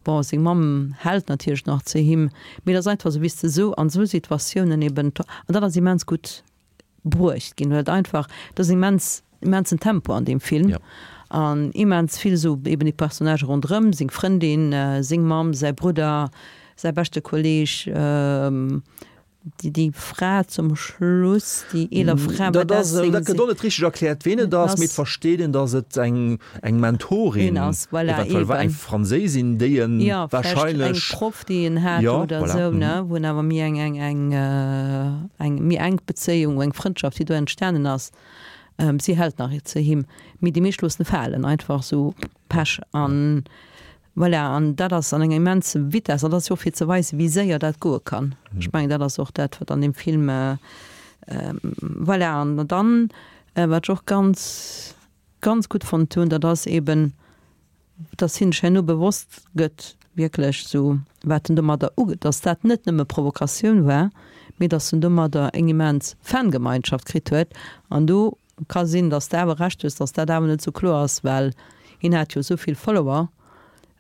Bon, seng Mamm hält natierlech nach zu him, mee et ass einfach sou, wéi s de sou an sou Situatiounen eben, an dat ass immens gutt bruecht ginn, well et einfach, et ass immens, immensen Tempo an deem Film an immens vill sou eben déi Personnagë ronderëm, seng Frëndin, seng Mamm, säi Brudder, säi beschte Kolleg, Déi, déi Fra zum Schluss, déi eeler Fra, war dat seng. Dat gëtt och net richteg erkläert, ween et ass, mee et versteet een, datt et eng, eng Mentorin ass, voilà, eventuell war, eng Franséisin, déi en Jo, vläicht eng wahrscheinlech. Proff, déi en hat Jo, oder voilà, esou, ne, mhm. wou en awer méi eng, eng, eng, eng méi enk Bezéiung, eng Frëndschaft, déi do entstanen ass. Si hält nach zu him, mee déi meescht loossen e falen, einfach esou Pech an. Voilà, an dat ass an enger immense Vitesse, an dat ass jo och fir ze weisen, wéi séier dat goe kann. Ech mengen, dat ass och dat, wat an deem Film, voilà. An dann, wat ech och ganz, ganz gutt fonnt hunn, dat ass eeben, dass hien sech herno bewosst gëtt, wierklech esou, wat en domadder uge-, dass dat net nëmme Provokatioun war, mee dass en domadder eng immens Fangemeinschaft kritt huet. An do Ka sinn, dass de awer Recht hues, dass dat awer net sou kloer ass, well hien hat jo souvill Follower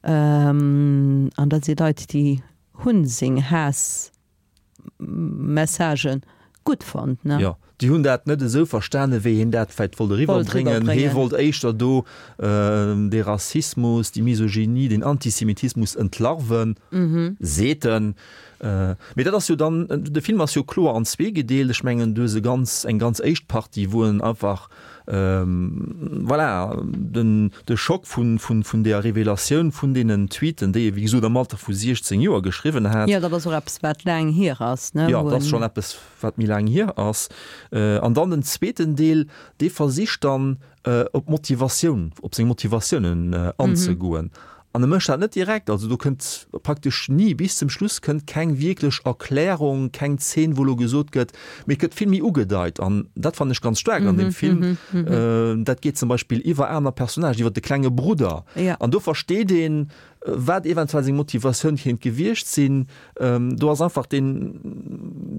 an dat si Leit, déi hunn seng Haass-Messagen gutt fonnt, ne? Jo, déi hunn dat net esou verstane wéi hien dat vläit wollt eriwwerbréngen. Hie wollt éischter do dee Rassismus, déi Misogynie, den Antisemitismus entlarven, seet en. Mee dat ass jo dann, de Film ass jo kloer an zwee gedeelt. Ech mengen, du hues e ganz, eng ganz éischt Partie, wou en einfach, voilà, den, de Schock vun, vun, vun deeër Revelatioun vun deenen Tweeten, déi e wéi gesot am Alter vu 16 Joer geschriwwen hat. Jo, dat ass och eppes, wat laang hier ass, ne? Jo, dat ass schonn eppes, wat méi laang hier ass. An dann den zweeten Deel, dee versicht dann, op d'Motivatioun, op seng Motivatiounen anzegoen. An e mécht dat net direkt, also do kënnt praktesch ni, bis zum Schluss kënnt keng wierklech Erklärung, keng Zeen, wou elo gesot gëtt, mee et gëtt vill méi ugedeit an dat fannen ech ganz staark an deem Film. Dat geet zum Beispill iwwer aner Personnagen, iwwer de klenge Brudder an do versteet een, wat eventuell seng Motivatioun kéint gewiescht sinn. Do ass einfach deen,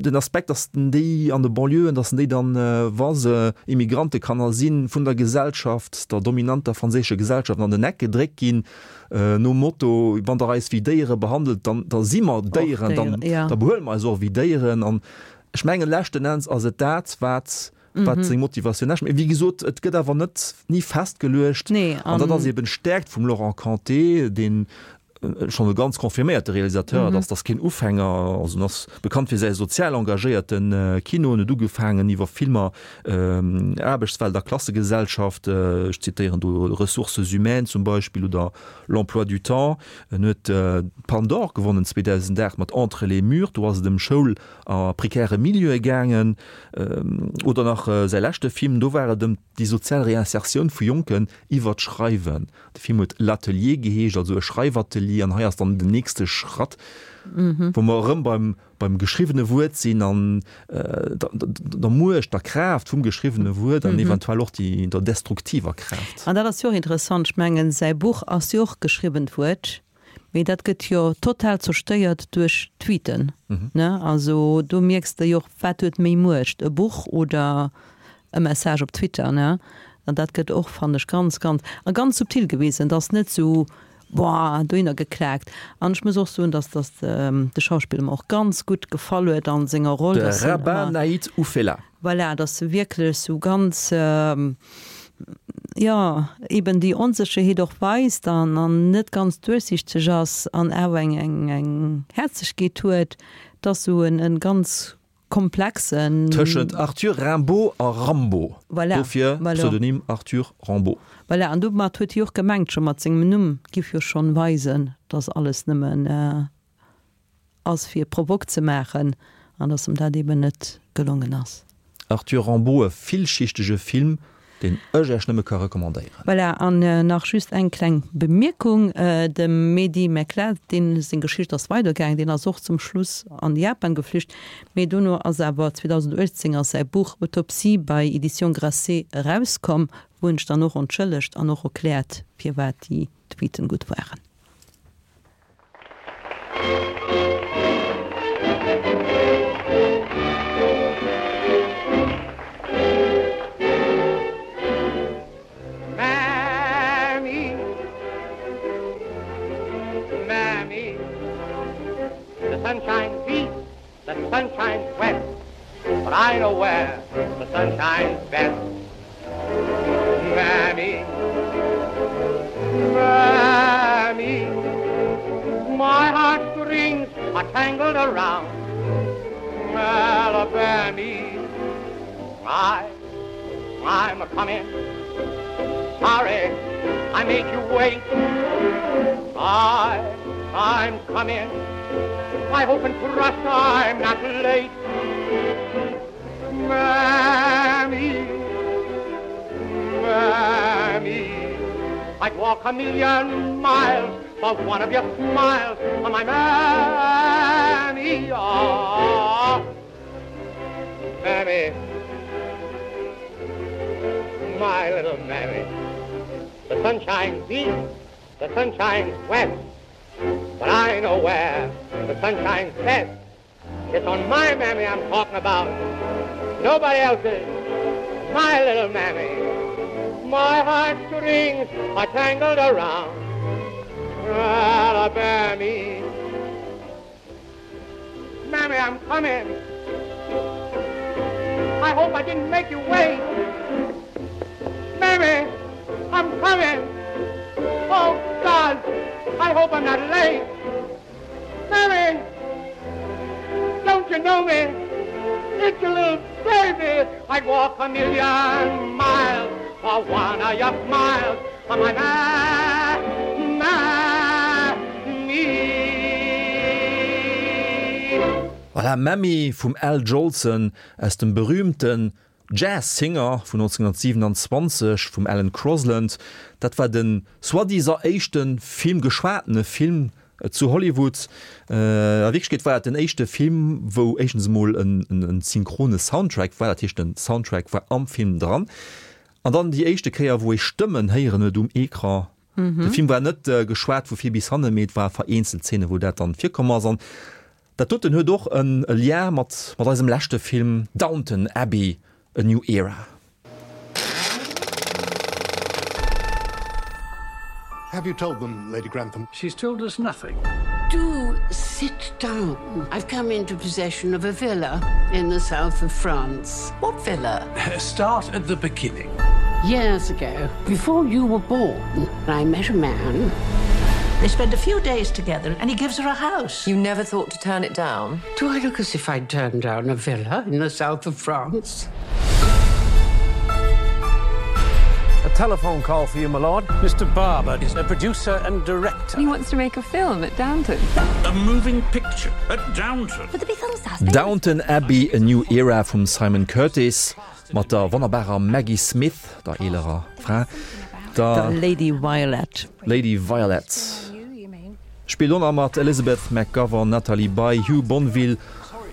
den Aspekt, datt en déi an de Banlieuën, datt en déi dann, wa se Immigrantekanner sinn, vun der Gesellschaft, der dominanter franséischer Gesellschaft an den Eck gedréckt ginn, nom Motto, wann Der eis wéi Déiere behandelt, dann da si mer Déieren, dann da behuele mer eis och wéi Déieren. An ech mengen, leschten Enns ass et dat, wat wat seng Motivatioun ass. Mee wéi gesot, et gëtt awer net ni festgeluecht. An dat ass eben d'Stäerkt vum Laurent Cantet, deen schonn e ganz confirméierte Realisateur, et ass, ass keen Ufänger, also en ass bekannt fir säi sozial engagéierte Kino. En huet ugefaangen iwwer Filmer Aarbechtswelt a Klassegesellschaft, ech zitéieren do Ressources humaines zum Beispill oder L'emploi du temps. En huet d'Palme d'Or gewonnen 2008 mat Entre les murs, do ass et ëm Schoul a prekäre Milieue gaangen. Oder nach säi leschte Film, do war et ëm déi sozial Réinsertioun vu Jonken iwwer d'Schreiwen. De Film huet L'Atelier geheescht, also e Schreifatelier, an hei ass dann den nächste Schratt, wou mer erëm beim, beim geschriwwene Wuert sinn an der, der Muecht, der Kraaft vum geschriwwene Wuert an eventuell och déi, der destruktiver Kraaft. An dat ass jo och interessant, ech mengen, säi Buch ass jo och geschriwwent Wuert, mee dat gëtt jo total zerstéiert duerch Tweeten, ne? Also do mierks de jo och, wat huet méi Muecht, e Buch oder e Message op Twitter, ne? An dat gëtt och, fannen ech, ganz, ganz, a ganz subtil gewisen. Et ass net esou, boah, dohinner geklaakt. An ech muss och soen, dass, dass de Schauspiller mer och ganz gutt gefall huet a senger Roll, De Rabah Naït Oufella. Voilà, dass e wierklech esou ganz. jo, eben déi Onsécherheet och weist an an net ganz duerchsichteg ass an awer eng eng eng Häerzegkeet huet. Et ass esou en e ganz komplexen. Tëschent Arthur Rimbaud a Rambo. Voilà, Dofir voilà. Pseudonym Arthur Rambaud. Voilà, an domat huet hie och gemengt, scho mat sengem Numm giff jo schonn weisen, dass alles nëmmen ass fir Provoque ze maachen an dass em dat eben net gelongen ass. Arthur Rimbaud, e villschichtege Film, deen ech Äech nëmme ka recommandéieren. Voilà, an nach just eng kleng Bemierkung, Dem Mehdi Mekhled, deen seng Geschicht ass weidergaangen, deen ass och zum Schluss an Japan geflücht, mee dono ass awer 2018 ass säi Buch Autopsie bei Editions Grasset erauskomm, wou en sech dann och entschëllegt an och erkläert, firwat déi Tweeten gutt waren. Mammy, Mammy, the sun shines east, the sun shines west, but I know where the sun shines best. Mammy, Mammy, my heartstrings are tangled around Alabama. I, I'm a coming. Sorry, I made you wait. I, I'm coming. I hope and trust I'm not late. Mammy, Mammy, I'd walk a million miles for one of your smiles on my mammy. Oh, mammy, my little mammy. The sun shines east, the sun shines west, but I know where the sun shines best. It's on my mammy I'm talking about. Nobody else's. My little mammy. My heartstrings are tangled around Alabama. Mammy, I'm coming. I hope I didn't make you wait. Mammy, I'm coming. Oh, God, I hope I'm not late. Mammy, don't you know me? It's your little baby. I'd walk a million miles for one of your smiles. On my ma, ma, me. Voilà, Mammy vum Al Jolson aus dem berühmten Jazz Singer vun 1927 vum Alan Crosland. Dat war den soi-disant éischte Film, geschwatene Film zu Hollywood. A Wierklechkeet war dat den éischte Film, wou éischtens emol en synchrone Soundtrack war, dat heescht den Soundtrack war am Film dran, an dann déi éischte Kéier, wou ee Stëmmen héieren huet um Ecran. De Film war net geschwat vu vir bis hannen, mee et war vereenzelt Zeene wou dat dann virkomm ass. An dat doten huet och e Lien mat mat eisem leschte Film Downton Abbey, A New Era. Have you told them, Lady Grantham? She's told us nothing. Do sit down. I've come into possession of a villa in the south of France. What villa? Start at the beginning. Years ago, before you were born, I met a man. They spend a few days together and he gives her a house. You never thought to turn it down? Do I look as if I'd turned down a villa in the south of France? A telephone call for you, my lord. Mr. Barber is a producer and director. He wants to make a film at Downton. A moving picture at Downton. Downton Abbey, A New Era vum Simon Curtis mat der wonnerbarer Maggie Smith, der eelerer Fra, der Lady Violet. Lady Violet spillt och nach mat, Elizabeth McGovern, Nathalie Baye, Hugh Bonneville,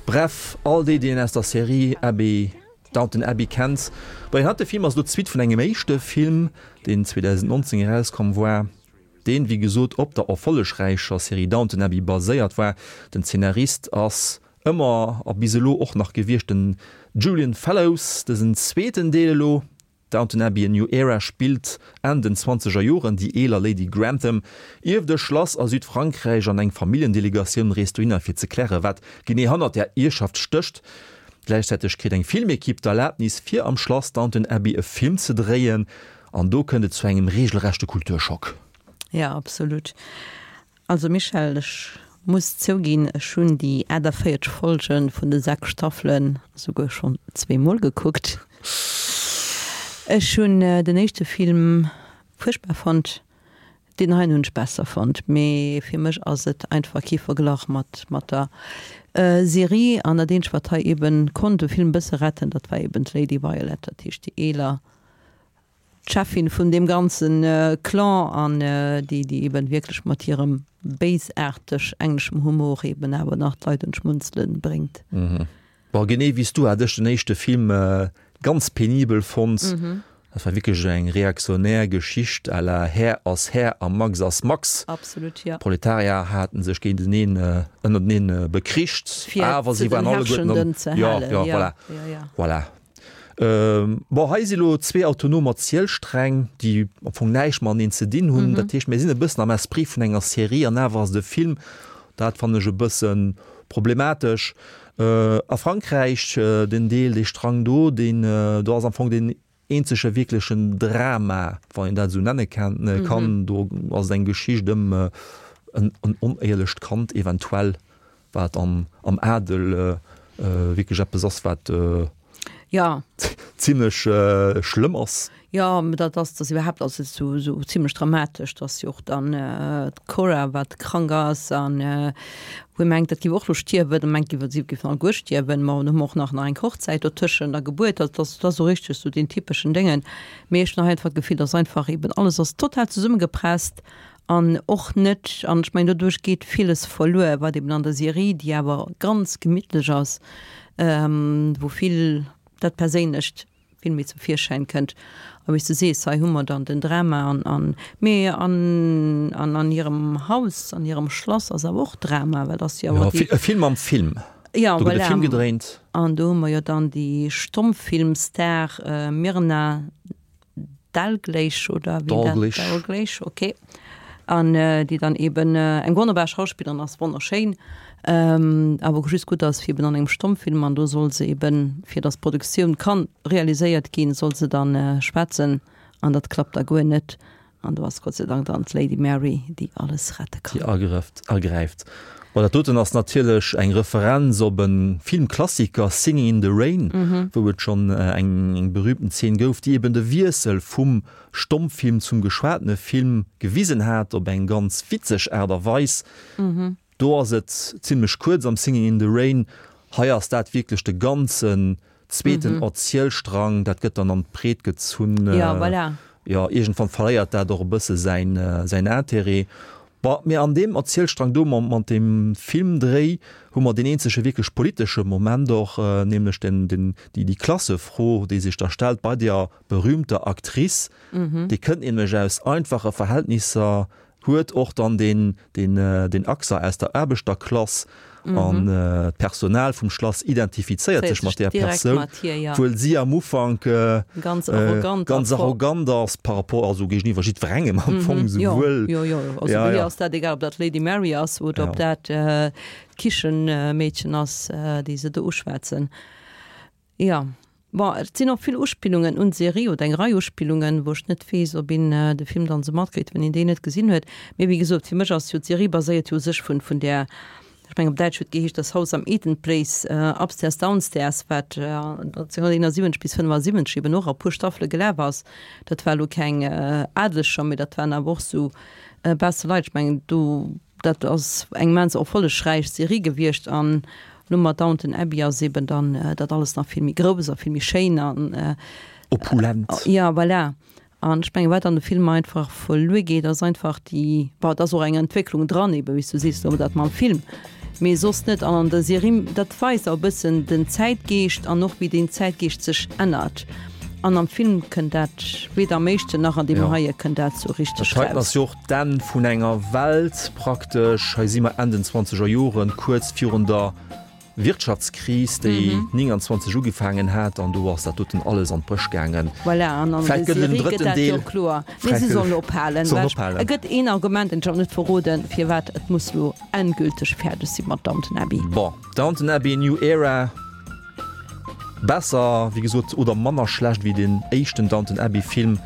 bref all déi, déi een aus der Serie Abbey, Downton Abbey kennt. Bon, deen heite Film ass elo d'Suite vun engem éischte Film, deen 2019 erauskomm war, deen, wéi gesot, op der erfollegräicher Serie Downton Abbey baséiert war. Den Zeenarist ass ëmmer a bis elo och nach gewiescht den Julian Fellowes. Dësen zweeten Deel elo, Downton Abbey, A New Era spillt Enn den zwanzeger Joren. Déi eeler Lady Grantham ierft e Schlass a Südfrankräich an eng Familljendelegatioun reest dohinner fir ze klären, wat genee hannert där Ierfschaft stécht. Gläichzäiteg kritt eng Filmekipp d'Erlabnis fir am Schlass Downton Abbey e Film ze dréien. An do kënnt et zu engem regelrechte Kulturschock. Ja, absolut. Also Michèle, ech muss zouginn, ech hunn déi 48 Folge vun de 6 Staffelen esouguer schonn zweemol gekuckt. Ech hunn den éischte Film fuerchtbar fonnt, deen heien hunn ech besser fonnt, mee fir mech ass et einfach kee Verglach mat mat der Serie. An dat eenzegt wat hei eben konnt de Film e bësse retten, dat war eben d'Lady Violet, dat heescht déi eeler d'Cheffin vun deem ganzen Clan an déi déi eben wierklech mat hirem béisaarteg engleschem Humor eben awer nach d'Leit un d'Schmunzelen bréngt. Bon, genee wéi s du hat ech den éischte Film ganz penibel fonnt. Dat war wierklech eng reaktionär Geschicht à la Här ass Här a Max ass Max. Absolut, jo. D'Proletarier haten sech géinteneen, ënnerteneen bekricht, Fir awer ze si den waren alleguerten Herrschenden ze Jo, halen, jo, jo, voilà, jo, jo. voilà. Bon, hei si lo zwee autonom Erzielsträng, déi am Fong näischt mateneen ze dinn hunn. Dat heescht, mir sinn e bëssen am Esprit vun enger Serie an awer ass et e Film. Dat fannen ech e bësse problematesch. A Frankräich, den Deel, dee Strang do, deen do ass am Fong deen eenzege wierklechen Drama, wann een dat esou nenne kann. Do ass et eng Geschicht ëm en onéierlecht Kand eventuell, wat am Adel wierklech eppes ass, wat ja. zimlech schlëmm ass. Jo, mä dat ass, dat iwwerhaapt ass et esou, esou zimlech dramatesch, dass jo och dann d'Cora, wat krank ass an wou ee mengt, dat géif och elo stierwen, a mengt, si géifen alleguer stierwen. Ma dann hu mer och nach nach eng Hochzäit dotëschent a Gebuert. Also dat ass, dat ass esou richteg esou deen typeschen Déngen. Mee ech hunn nach einfach d'Gefill, dass einfach eben alles ass total zesummegepresst An och net, an ech mengen doduerch geet villes verluer, wat eben an der Serie, déi awer ganz gemittlech ass, wou vill dat Perséinlecht vill méi zum Virschäin kënnt. A wéi s de sees, hei hu mer dann den Drama an, an, mee an, an an hirem Haus, an hirem Schlass ass awer och Drama, well ass jo awer déi. E Film am Film. Ja, Do gëtt e voilà. Film gedréint. An do hu mer jo dann déi Stommfilmstar Myrna Dalgliesh oder wéi dat Dalgliesh. Dalgliesh, okay. An déi dann eben eng wonnerbar Schauspillerin ass, wonnerschéin, awer just gutt ass fir eben an engem Stommfilm an do soll se eben, fir datt d'Produktioun kann realiséiert ginn, soll se dann schwätzen an dat klappt da guer net an do ass Gott sei Dank dann d'Lady Mary, déi alles rette Déi kann. agrëfft, agräift. Bon, dat doten ass natierlech eng Referenz op e Filmklassiker, Singing in the Rain, wou et schonn eng berühmten Zeen gouf, déi eben de Wiessel vum Stommfilm zum geschwatene Film gewisen hat, op eng ganz witzeg Aart a Weis. Do ass et zimlech kuerz am Singing in the Rain. Hei ass dat wierklech de ganzen zweeten Erzielstrang, dat gëtt dann an d'Breet gezunn. Jo, voilà. Jo, iergendwann verléiert dat och e bësse säin, säin Intérêt. Bon, mee an deem Erzielstrang do mam, mat deem Filmdréi hu mer deen eenzege wierklech politesche Moment och, nämlech den, den, déi, déi Klassefro, déi sech da stellt bei deer berühmter Actrice. Déi kënnt nämlech aus einfache Verhältnisser, huet och dann den den Accent aus der Aarbechterklass an d'Personal vum Schlass identifizéiert sech mat där Persoun, wuel si am Ufank ganz arrogant ass par rapport, also géigeniwwer jiddwerengem am Fong, souwuel. Jo, jo, also bei hir ass dat egal, ob dat d'Lady Mary ass oder ob dat d'Kichemeedchen ass, déi se do uschwätzen. Jo, bon, et sinn och vill Uspillungen un d'Serie oder eng Rei Uspillungen, wou ech net weess, ob een de Film dann esou matkritt, wann een deen net gesinn huet. Mee wéi gesot, fir mech ass jo d'Serie baséiert jo u sech vun, vun där, ech mengen op Däitsch huet geheescht Das Haus am Eden Place, Upstairs Downstairs, wat 1971 bis 75 eben och a puer Staffele gelaf ass. Dat war elo keng Adeleger, mee dat waren awer och esou besse Leit. Ech mengen do, dat ass eng immens erfollegräich Serie gewiescht an Lo mat Downton Abbey ass eben dann dat alles nach vill méi grouss a vill méi schéin an. Opulent. Jo, voilà. An ech mengen, wat an de Film einfach verluer geet, ass einfach déi, bon, et ass och eng Entwécklung dran eben, wéi s du sees, lo dat mam Film, mee soss net. An an der Serie, dat weist och e bëssen den Zäitgeescht an och wéi deen Zäitgeescht sech ännert. An am Film kënnt dat, weder am éischten nach an deem heie kënnt dat sou richteg Dat heiten raus. ass jo och d'Enn vun enger Welt praktesch. Hei si mer Enn den zwanzeger Joren, kuerz virun der Wirtschaftskris, déi 29 ugefaangen hat, an do ass dat doten alles an d'Bréch gaangen. Voilà, an an der Vläicht gëtt et en Serie gëtt drëtten dat jo Deel. kloer. Mee si sollen ophalen. Sollen Well ophalen. et gëtt een Argument, deen ech awer net verroden, firwat et muss lo endgülteg fäerdeg si mat Downton Abbey. Bon, Downton Abbey, New Era. Besser, wéi gesot, oder manner schlecht wéi den éischten Downton Abbey Film.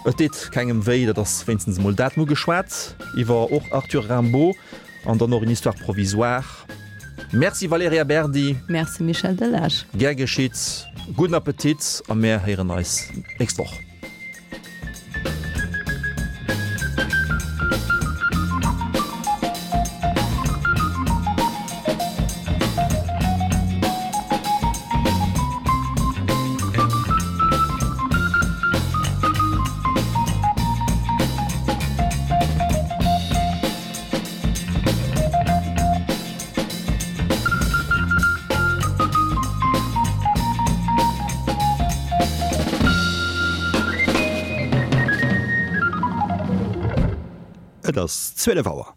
Et deet kengem wéi, dat ass wéinstens emol dat. Mir hu geschwat iwwer och Arthur Rimbaud an dann och Une histoire provisoire. Merci Valerija Berdi. Merci Michel Delage. Gär geschitt. Gudden Appetit a mär héieren eis nächst Woch. Et ass 12 Auer.